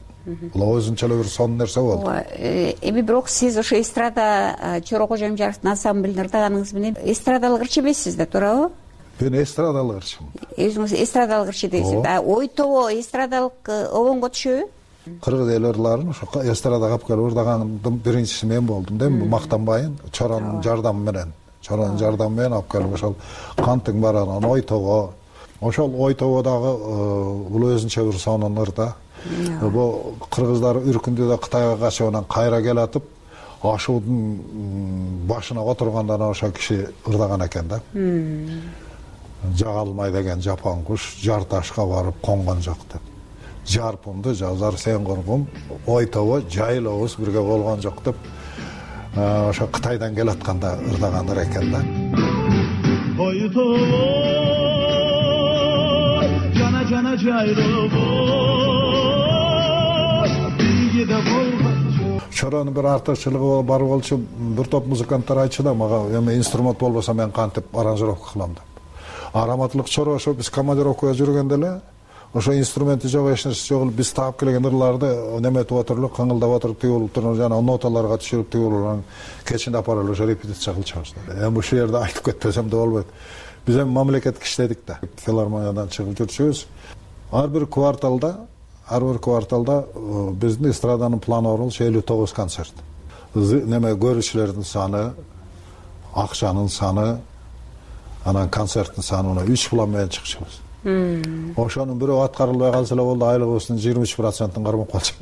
Бул өзүнчө эле бир сонун нерсе болду.
Эми бирок сиз ошо эстрада Чора Кожомжаровдун ансамблине ырдаганыңыз менен эстрадалык ырчы эмессиз да, туурабы?
Мен эстрадалык ырчымын.
Өзүңүз эстрадалык ырчы дейсиз. А ой тобо эстрадалык обонго түшөбү?
Кыргыз эл ырларын ошо эстрадага алып келип ырдагандын биринчиси мен болдум да, мактанбайын. Чоранын жардамы менен, Чоранын жардамы менен алып келип ошол Кантың баранан ой тобо. Ошол ой тободагы бул өзүнчө бир сонун ырда. Бул кыргыздар үркүндүдө Кытайга качып анан кайра келатып, ашуудун башына отурганда ошо киши ырдаган экен да. Жагалмай деген жапан куш жар ташка барып конгон жок деп. Жарпымды жазар сен коргум, ой тобо жайылабыз бирге болгон жок деп ошо Кытайдан келатканда ырдагандар экен да. Ой тобо жана жана жайылабыз бирге болгон. Чоранын бир артыкчылыгы бар болчу, бир топ музыканттар айтчу да мага, эми инструмент болбосо мен кантип аранжировка кылам деп. Раматылык Чора ошо биз командировкага жүргөндө эле ошо инструменти жок, эч нерсе жок, биз таап келген ырларды неметип отуруп, кыңылдап отуруп тигип туруп, жана ноталарга түшүрүп тигип анан кечинде апарып ошо репетиция кылчубуз. Эми ушул жерде айтып кетпесем да болбойт. Биз эми мамлекетке иштедик да. Филармониядан чыгып жүрчүбүз. Ар бир кварталда, ар бир кварталда биздин эстраданын планы болчу элүү тогуз концерт. Неме көрүүчүлөрдүн саны, акчанын саны, анан концерттин саны үч план менен чыкчубуз. Ошонун бирөө аткарылбай калса эле болду, айлыгыбыздын жыйырма үч процентин кармап калчу.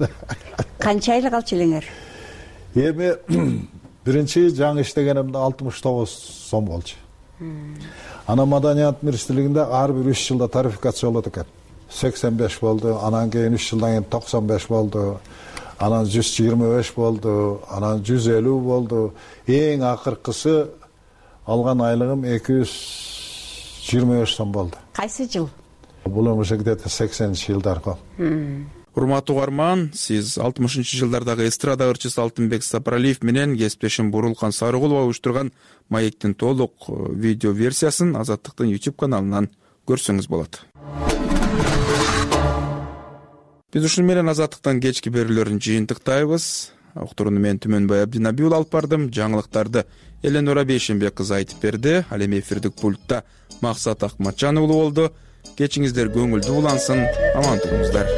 Канча айлык алчу элеңер?
Эми биринчи жаңы иштегенимде алтымыш тогуз сом болчу. Анан маданият министрлигинде ар бир үч жылда тарификация болот экен. сексен беш болду, анан кийин үч жылдан кийин токсон беш болду, анан жүз жыйырма беш болду, анан жүз элүү болду. Эң акыркысы алган айлыгым эки жүз жыйырма беш сом болду.
Кайсы жыл?
Бул уже где-то сексенинчи жылдар го.
Урматтуу угарман, сиз алтымышынчы жылдардагы эстрада ырчысы Алтынбек Сапаралиев менен кесиптешим Бурулкан Сарыгулова уюштурган маектин толук видео версиясын Азаттыктын YouTube каналынан көрсөңүз болот. Биз ушуну менен Азаттыктын кечки берүүлөрүн жыйынтыктайбыз. Уктурууну мен Түмөнбай Абдинабиул алып бардым. Жаңылыктарды Эленора Бейшенбек кызы айтып берди. Ал эми эфирдик пультта Максат Акматжан уулу болду. Кечиңиздер көңүлдүү улансын, аман туруңуздар.